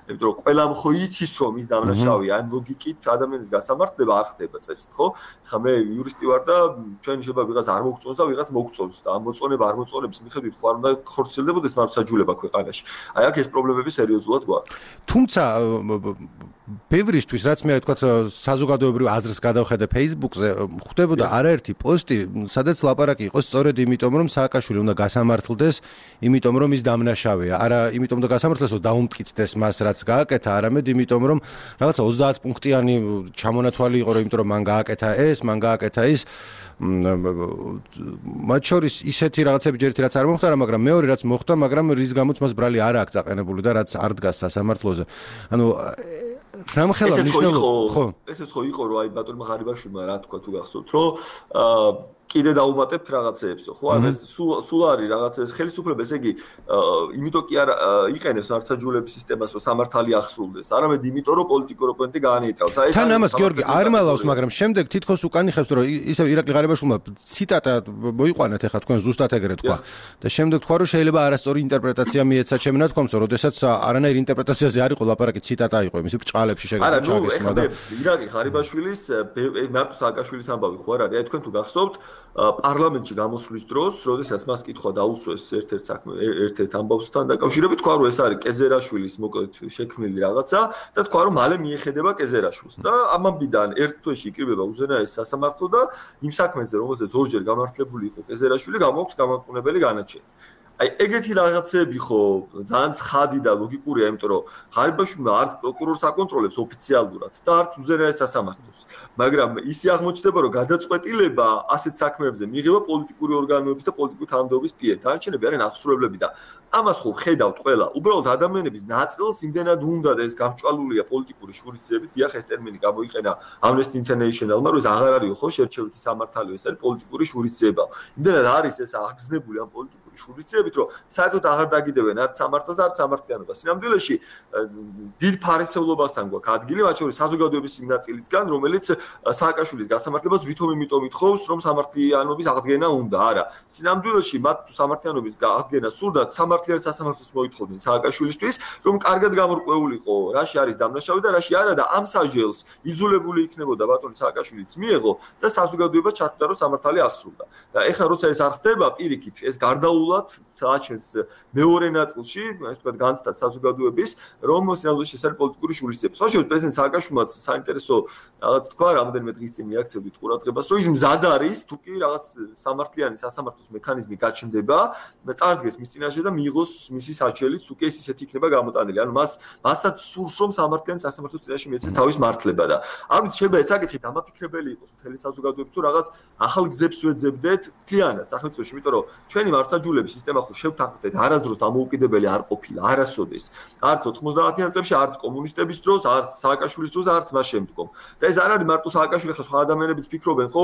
იმიტომ რომ ყველამ ხო იცის რომ ის დამნაშავეა, ამ ლოგიკით ადამიანის გასამართლება არ ხდება წესით, ხო? ხა მე იურისტი ვარ და ჩვენ შეიძლება ვიღაც არ მოგწონს და ვიღაც მოგწონს და ამ მოწონება არ მოწონების მიხედვით ხო არ უნდა ხორციელდებოდეს მარცხაჯულება ქვეყანაში. აი აქ ეს პრობლემები სერიოზულად გვაქვს. თუმცა ბევრისთვის რაც მე ვთქვათ საზოგადოებრივ აზრს გადავხედე Facebook-ზე, ხვდებოდა არაერთი პოსტი, სადაც ლაპარაკი იყო სწორედ იმიტომ, რომ სააკაშვილი უნდა გასამართლდეს, იმიტომ რომ ის დამნაშავეა. არა იმიტომ და გასამართლდეს, რომ დაუმტკიცდეს მას რაც გააკეთა, არამედ იმიტომ რომ რაღაცა 30 პუნქტიანი ჩამონათვალი იყო, რომ იმიტომ რომ მან გააკეთა ეს, მან გააკეთა ის. მათ შორის ისეთი რაღაცები ჯერითი რაც არ მოხდა, მაგრამ მეორე რაც მოხდა, მაგრამ რის გამოც მას ბრალი არ აქვს აყენებული და რაც არ დგას სასამართლოზე. ანუ რამხელა მნიშვნელობა ხო? ესეც ხო იყო, რომ აი ბატონმა ღარიბაშვილმა რა თქვა თუ გახსოვთ, რომ კიდე დაუმატებთ რაღაცეებსო, ხო? ანუ ეს სულ არის რაღაცა ხელისუფლება, ესე იგი, იმიტომ კი არ იყენებს მარცხაჯულების სისტემას, რომ სამართალი ახსრულდეს, არამედ იმიტომ, რომ პოლიტიკური ოპონენტი გაანეიტრალოს. აი ეს თან ამას გიორგი არ მალავს, მაგრამ შემდეგ თითქოს უკანიხებს, რომ ისევ ირაკლი ღარიბაშვილმა ციტატა მოიყვანათ, ეხლა თქვენ ზუსტად ეგრე თქვა. და შემდეგ თქვა, რომ შეიძლება არასწორი ინტერპრეტაცია მიეცა ჩემ ნათქვამს, როდესაც არანაირ ინტერპრეტაციაზე არ იყო ლაპარაკი, ციტატა იყო, იმისი ბრჭყალებში შეგეძლო ჩაგესმა და ირაკლი ღარიბაშვილის მარტო სააკაშვილის ამბავი ხო არ არის? აი თქვენ თუ გახსოვთ პარლამენტში გამოსვლის დროს, როდესაც მას კითხვა დაუსვეს ერთ-ერთ ამბავსთან დაკავშირებით, თქვა რომ ეს არის კეზერაშვილის მოკლედ შექმნილი რაღაცა და თქვა რომ მალე მიეხედება კეზერაშვილს და ამამდან ერთ თვეში იკრიბება უზენაესი სასამართლო და იმ საქმეზე, რომელზეც ორჯერ გამართლებული იყო კეზერაშვილი, გამოაქვს გამაყენებელი განაჩენი. აი ეგეთი რაღაცები ხო ძალიან ცხადი და ლოგიკურია, იმიტომ რომ ღარიბაშვილმა არც პროკურორს აკონტროლებს ოფიციალურად და არც უზენაეს სასამართლოს. მაგრამ ისი აღმოჩნდება, რომ გადაწყვეტილება ასეთ საქმეებზე მიიღება პოლიტიკური ორგანოების და პოლიტიკური თანამდებობის მიერ. დანარჩენები არიან აღსრულებლები და ამას ხო ხედავთ ყველა. უბრალოდ ადამიანების ნაწილს იმდენად უნდა და ეს გამჭვალულია პოლიტიკური შურისძიებით, დიახ ეს ტერმინი გამოიყენა Amnesty International-მა, რომ ეს აღარ არის ხო შერჩევითი სამართალი, ეს არის პოლიტიკური შურისძიება. იმდენად არის ეს აღგზნებული ამ პოლიტიკური შურიცებით, რომ საერთოდ აღარ დაგიდებენ არც სამართალს და არც სამართლიანობას. სინამდვილეში დიდ ფარისევლობასთან გვაქვს ადგილი, მათ შორის საზოგადოების იმ ნაწილისგან, რომელიც სააკაშვილის გასამართლებას ვითომ იმიტომ ითხოვს, რომ სამართლიანობის აღდგენა უნდა. არა, სინამდვილეში მათ სამართლიანობის აღდგენა სურდათ, სამართლიან სასამართლოს მოითხოვდნენ სააკაშვილისთვის, რომ კარგად გამორკვეულიყო, რაში არის დამნაშავე და რაში არა და ამ საჯელს იძულებული იქნებოდა ბატონი სააკაშვილიც მიეღო და საზოგადოება ჩათვლა, რომ სამართალი აღსრულდა. და ეხლა როცა ეს არ ხდება, პირიქით, ეს გარდაულად საჩენს მეორე ნაწილში, ასე ვთქვათ, განცდად საზოგადოების, რომ სინამდვილეში ეს არის პოლიტიკური შურისძიება. სწორედ პრეზიდენტ სააკაშვილმაც საინტერესო რაღაც თქვა, რამდენიმე დღის წინ მიაქცევდით ყურადღებას, რომ ის მზად არის, თუ კი რაღაც სამართლიანი სასამართლოს მექანიზმი გაჩნდება, წარდგეს მის წინაშე და მიიღოს მისი საჩელიც, თუ კი ეს ისეთი იქნება გამოტანილი. ანუ მასაც სურს, რომ სამართლიანი სასამართლოს წინაშე მიეცეს თავის მართლება და ამით შეიძლება ეს საკითხი დამაფიქრებელი იყოს მთელი საზოგადოების, თუ რაღაც ახალ გზებს ვეძებდეთ მთლიანად სახელმწიფოში, იმიტომ რომ ჩვენი მართლმსაჯულების სისტემა ხო შევთანხმდეთ, არასდროს დამოუკიდებელი არ ყოფილა, არასოდეს. არც 90-იან წლებში, არც კომუნისტების დროს, არც სააკაშვილის დროს, არც მას შემდგომ. და ეს არ არის მარტო სააკაშვილი, ხო სხვა ადამიანებიც ფიქრობენ, ხო,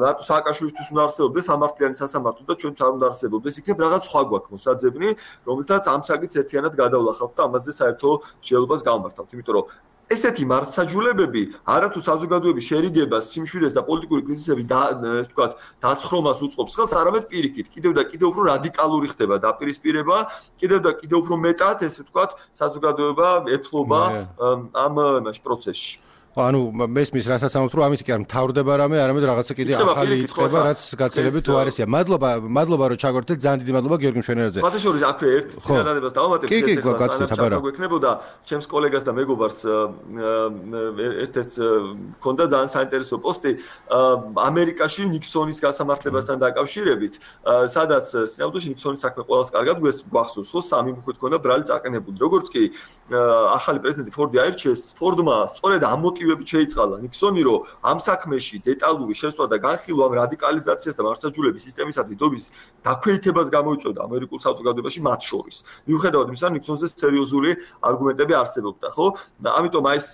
მარტო სააკაშვილისთვის უნდა არსებობდეს სამართლიანი სასამართლო და ჩვენც არ უნდა არსებობდეს, იქნებ რაღაც სხვა გვაქვს მოსაძებნი, რომელთაც ამ საკითხს ერთიანად გადავლახავთ და ამაზე საერთო მსჯელობას გავმართავთ, იმიტომ რომ ესეთი მართლმსაჯულებები არათუ საზოგადოების შერიგებას, სიმშვიდეს და პოლიტიკური კრიზისების ასე ვთქვათ, დაცხრომას უწყობს ხელს, არამედ პირიქით, კიდევ და კიდევ უფრო რადიკალური ხდება დაპირისპირება, კიდევ და კიდევ უფრო მეტად, ესე ვთქვათ, საზოგადოება ეთლობა ამ პროცესში. ანუ მესმის რასაც ამბობთ, რომ ამით კი არ მთავრდება რამე, არამედ რაღაცა კიდე ახალი იწყება, რაც გაცილებით თუ არისია. მადლობა რომ ჩაგორთეთ, ძალიან დიდი მადლობა გიორგი მშვენიერაძე. სხვათა შორის აქვე ერთ წინადადებას დავამატებ, გვექნებოდა ჩემს კოლეგას და მეგობარს ერთ-ერთ ქონდა ძალიან საინტერესო პოსტი ამერიკაში ნიქსონის გასამართლებასთან დაკავშირებით, სადაც სინამდვილეში ნიქსონის საქმე ყველას კარგად გვახსოვს, ხო, სამი მუხით ქონდა ბრალი წაყენებული. როგორც კი ახალი პრეზიდენტი ფორდი აირჩიეს, ფორდმა სწორედ ამ მოტივებით შეიწყალა ნიქსონი, რომ ამ საქმეში დეტალური შესვლა და განხილვა ამ რადიკალიზაციას და მართლმსაჯულების სისტემისადმი დობის დაქვეითებას გამოიწვევდა ამერიკულ საზოგადოებაში მათ შორის. მიუხედავად იმისა, ნიქსონზე სერიოზული არგუმენტები არსებობდა, ხო? და ამიტომ აი ეს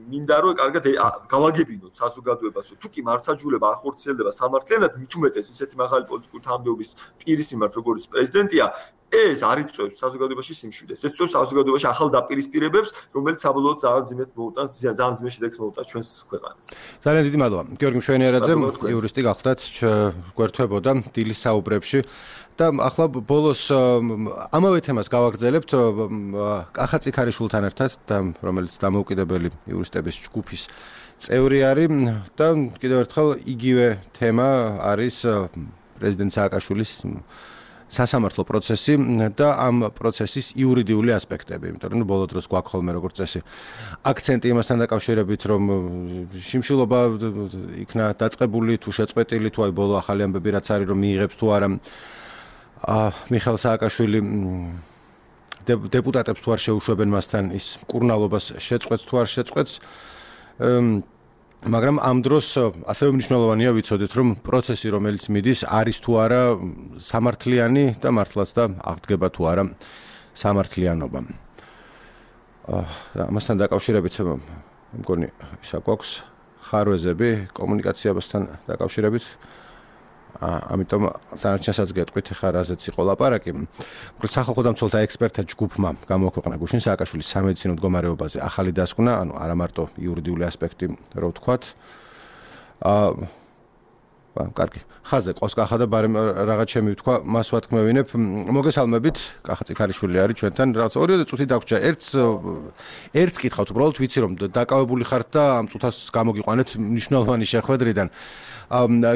მინდა რომ კარგად გავაგებინოთ საზოგადოებას, რომ თუ კი მართლმსაჯულება არ ხორციელდება სამართლიანად, მით უმეტეს ისეთი მაღალი პოლიტიკური თანამდებობის პირის მიმართ, როგორც პრეზიდენტია, ეს არ იწვევს საზოგადოებაში სიმშვიდეს. ეს იწვევს საზოგადოებაში ახალ დაპირისპირებებს, რომელიც საბოლოოდ ძალიან ძიმედ მოუტანს, ძალიან ძიმე შედეგს მოუტანს ჩვენს ქვეყანას. ძალიან დიდი მადლობა. გიორგი მშვენიერაძე, იურისტი გახლდათ, გვერდთვებოდა დილის საუბრებში. და ახლა ბოლოს ამავე თემას გავაგრძელებთ კახა წიქარიშვილთან ერთად, და რომელიც დამოუკიდებელი იურისტების ჯგუფის წევრი არის და კიდევ ერთხელ იგივე თემა არის პრეზიდენტ სააკაშვილის სასამართლო პროცესი და ამ პროცესის იურიდიული ასპექტები, იმიტომ რომ ბოლო დროს გვაქვს ხოლმე როგორც წესი აქცენტი იმასთან დაკავშირებით, რომ შიმშილობა იქნა დაწყებული თუ შეწყვეტილი, თუ აი ბოლო ახალი ამბები რაც არის, რომ მიიღებს თუ არა მიხეილ სააკაშვილი დეპუტატებს თუ არ შეუშვებენ მასთან ის მკურნალობას შეწყვეტს თუ არ შეწყვეტს. მაგრამ ამ დროს ასევე მნიშვნელოვანია ვიცოდეთ, რომ პროცესი, რომელიც მიდის, არის თუ არა სამართლიანი და მართლაც და აღდგება თუ არა სამართლიანობა. ამასთან დაკავშირებით მგონი ისა გვაქვს ხარვეზები კომუნიკაციასთან დაკავშირებით. ამიტომ დანარჩენსაც გეტყვით, ხა რაზეც იყო ლაპარაკი. სახალხო დამცველთა ექსპერტთა ჯგუფმა გამოაქვეყნა გუშინ სააკაშვილის სამედიცინო მდგომარეობაზე ახალი დასკვნა, ანუ არა მარტო იურიდიული ასპექტი, რო ვთქვათ. კარგი. ხაზე ყავს კახა და ბარემ რაღაც ჩემი ვთქვა, მას ვათქმევინებ. მოგესალმებით, კახა წიქარიშვილი არის ჩვენთან. რაღაც 2 წუთი დაგვრჩა. ერთს კითხავთ, უბრალოდ ვიცი რომ დაკავებული ხართ და ამ წუთას გამოგიყვანეთ მნიშვნელოვანი შეხვედრიდან.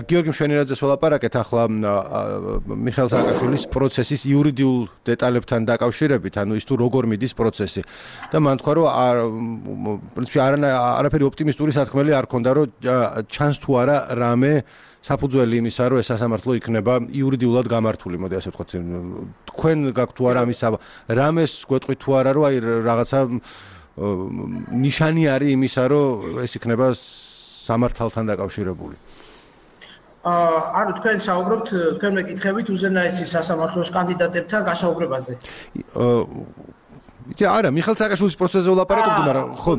გიორგი მშვენიერაძეს ვლაპარაკეთ ახლა მიხეილ სააკაშვილის პროცესის იურიდიულ დეტალებთან დაკავშირებით, ანუ ის თუ როგორ მიდის პროცესი. და მან თქვა, რომ პრინციპში არაფერი ოპტიმისტური სათქმელი არ ქონდა, რომ ჩანს თუ არა რამე საფუძველი იმისა, რომ ეს სასამართლო იქნება იურიდიულად გამართული, მოდი ასე ვთქვათ. თქვენ გაქვთ თუ არა ამის რამეს გვეტყვით თუ არა, რომ აი რაღაცა ნიშანი არის იმისა, რომ ეს იქნება სამართალთან დაკავშირებული. ანუ თქვენ საუბრობთ, თქვენ მეკითხებით უზენაესის სასამართლოს კანდიდატებთან გასაუბრებაზე. არა, მიხეილ სააკაშვილის პროცესზე ვლაპარაკობდი, მაგრამ ხო.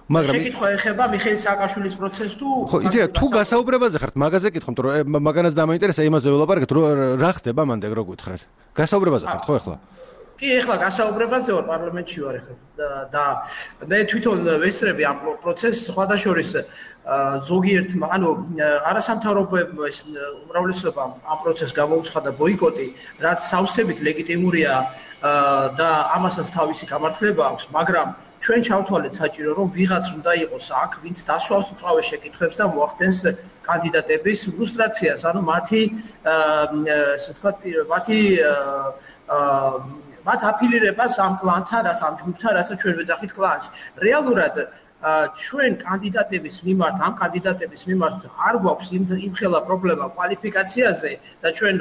მაგრამ შეკითხვა ეხება მიხეილ სააკაშვილის პროცესს თუ ხო იცი რა თუ გასაუბრებაზე ხართ მაგაზე კითხავთ რომ მაგანაც დამაინტერესა იმაზე ველაპარაკეთ რომ რა ხდება მანდ რო გითხრათ გასაუბრებაზე ხართ ხო ახლა კი ახლა გასაუბრებაზე ვარ პარლამენტში ვარ ახლა და მე თვითონ ვესწრები ამ პროცესს სხვადასხვის ზოგიერთ ანუ არასამთავრობოებმა ეს უმრავლესობა ამ პროცესს გამოუცხადა ბოიკოტი რაც სავსებით ლეგიტიმურია და ამასაც თავისი გამართლება აქვს მაგრამ ჩვენ ჩავთვალეთ საჭირო რომ ვიღაც უნდა იყოს აქ ვინც დასვავს მწვავე შეკითხვებს და მოახდენს კანდიდატების ლუსტრაციას ანუ მათი ესე ვთქვათ მათი მათ აფილირებას ამ კლანთან, რაც ამ ჯგუფთან, რაც ჩვენ ვეძახით კლანს. რეალურად ჩვენ კანდიდატების მიმართ, ამ კანდიდატების მიმართ არ გვაქვს იმხელა პრობლემა კვალიფიკაციაზე და ჩვენ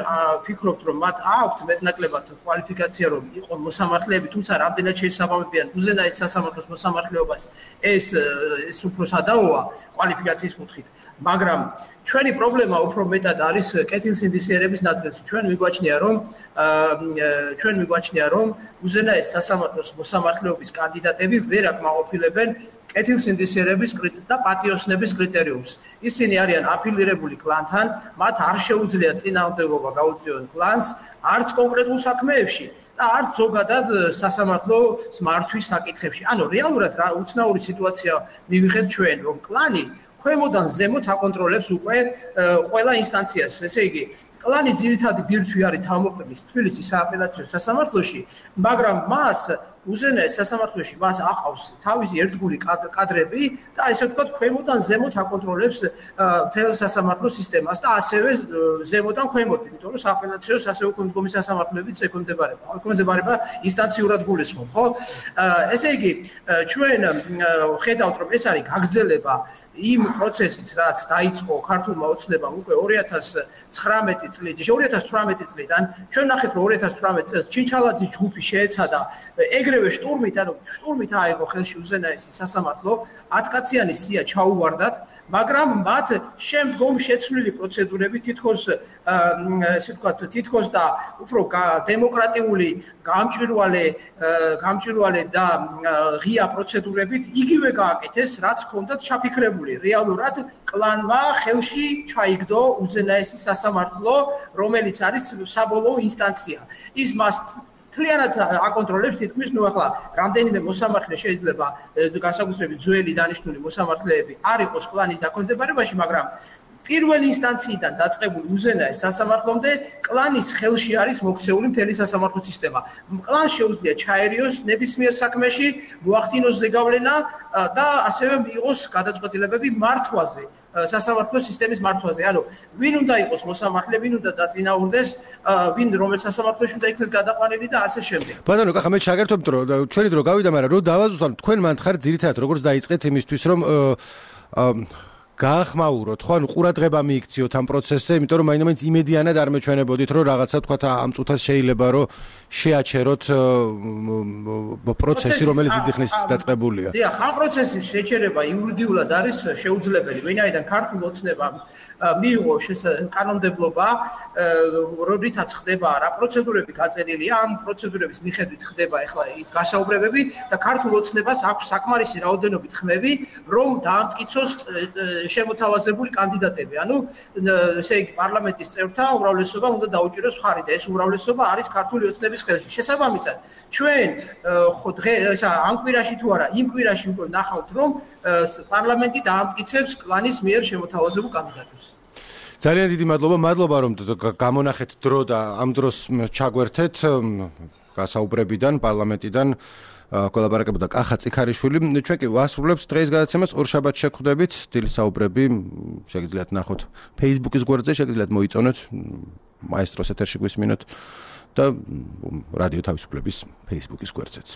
ვფიქრობთ, რომ მათ აქვთ მეტნაკლებად კვალიფიკაცია, რომ იყოს მოსამართლეები, თუმცა რამდენად შეესაბამებიან უზენაეს სასამართლოს მოსამართლეობას, ეს უფრო სადაოა კვალიფიკაციის კუთხით. მაგრამ ჩვენი პრობლემა უფრო მეტად არის კეთილსინდისიერების ნაწილში. ჩვენ მიგვაჩნია, რომ უზენაეს სასამართლოს მოსამართლეობის კანდიდატები ვერ აკმაყოფილებენ კეთილსინდისიერების და პატიოსნების კრიტერიუმს. ისინი არიან აფილირებული კლანთან, მათ არ შეუძლიათ წინააღმდეგობა გაუწიონ კლანს, არც კონკრეტულ საქმეებში და არც ზოგადად სასამართლოს მართვის საკითხებში. ანუ რეალურად რა უცნაური სიტუაცია მივიღეთ ჩვენ, რომ კლანი ქვემოდან ზემოთ აკონტროლებს უკვე ყველა ინსტანციას. ესე იგი, კლანის ძირითადი ბირთვი არის თავმოყრების თბილისის სააპელაციო სასამართლოში, მაგრამ მას უზენაეს სასამართლოში მას აყავს თავისი ერთგული კადრები და ესე ვთქვათ, ქვემოდან ზემოთ აკონტროლებს მთელ სასამართლო სისტემას და ასევე ზემოდან ქვემოთ, იმიტომ რომ სააპელაციო სასეუქმდგომი სასამართლოებიც ექვემდებარება ინსტანციურად გულისხმობ, ხო? ესე იგი, ჩვენ ხედავთ, რომ ეს არის გაგრძელება იმ პროცესից, რაც დაიწყო ქართულმა ოცნებამ უკვე 2019 წლით, 2018 წლიდან, ჩვენ ნახეთ, რომ 2018 წელს ჩინჩალაძის ჯგუფი შეეცადა ეგრევე შტურმით აიღო ხელში უზენაესი სასამართლო, 10 კაციანი სია ჩაუვარდათ, მაგრამ მათ შემდგომ შეცვლილი პროცედურები თითქოს ესე ვთქვათ, თითქოს და უფრო დემოკრატიული, გამჭვირვალე და ღია პროცედურებით იგივე გააკეთეს, რაც ჰქონდათ ჩაფიქრებული. რეალურად კლანმა ხელში ჩაიგდო უზენაესი სასამართლო, რომელიც არის საბოლოო ინსტანცია. ის მას მთლიანად აკონტროლებს თითქმის, ნუ ახლა რამდენიმე მოსამართლე შეიძლება განსაკუთრებით ძველი დანიშნული მოსამართლეები არ იყოს კლანის დაქვემდებარებაში, მაგრამ პირველი ინსტანციიდან დაწყებული უზენაეს სასამართლომდე კლანის ხელში არის მოქცეული მთელი სასამართლო სისტემა. კლანს შეუძლია ჩაერიოს ნებისმიერ საქმეში, მოახდინოს ზეგავლენა და ასევე მიიღოს გადაწყვეტილებები მართვაზე. სასამართლო სისტემის მართვაზე. ანუ ვინ უნდა იყოს მოსამართლე, ვინ უნდა დაწინაურდეს, ვინ რომელ სასამართლოში უნდა იქნეს გადაყვანილი და ასე შემდეგ. ბატონო, კახა მე ჩაგერთობთ, რომ ჩვენი დრო გავიდა, მაგრამ რომ დავაზუსტოთ, თქვენ მანდ ხართ ძირითადად როგორც დაიწყეთ იმისთვის, რომ გაახმაუროთ, ხო, ანუ ყურადღება მიიქციოთ ამ პროცესზე, იმიტომ რომ მაინც იმედიანად არ მეჩვენებოდით, რომ რაღაცა თქვა ამ წუთას შეიძლება რომ შეაჩეროთ პროცესი, რომელიც დიდი ხნის დაწყებულია. დიახ, ამ პროცესის შეჩერება იურიდიულად არის შეუძლებელი, ვინაიდან ქართულ ოცნებამ მიიღო კანონმდებლობა, როდესაც ხდება რა პროცედურები გაწერილია, ამ პროცედურების მიხედვით ხდება ახლა გასაუბრებები და ქართულ ოცნებას აქვს საკმარისი რაოდენობით ხმები, რომ დაამტკიცოს შემოთავაზებული კანდიდატები. ანუ ესე იგი პარლამენტის წევრთა უმრავლესობა უნდა დაუჭიროს მხარი და ეს უმრავლესობა არის ქართული ოცნების ხელში. შესაბამისად, ჩვენ ხო ამ კვირაში თუ არა, იმ კვირაში უკვე ნახავთ, რომ პარლამენტი დაამტკიცებს კლანის მიერ შემოთავაზებულ კანდიდატებს. ძალიან დიდი მადლობა რომ გამონახეთ დრო და ამ დროს ჩაგვერთეთ გასაუბრებიდან პარლამენტიდან კოლაბორირებდა კახა წიქარიშვილი. ჩვენ კი ვასრულებთ დღეს გადაცემას, ორშაბათს შეგხვდებით. დილის საუბრები შეგიძლიათ ნახოთ Facebook-ის გვერდზე, შეგიძლიათ მოიწონოთ მაესტროს ეთერში გვისმინოთ და რადიო თავისუფლების Facebook-ის გვერდზეც.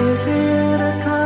Is it a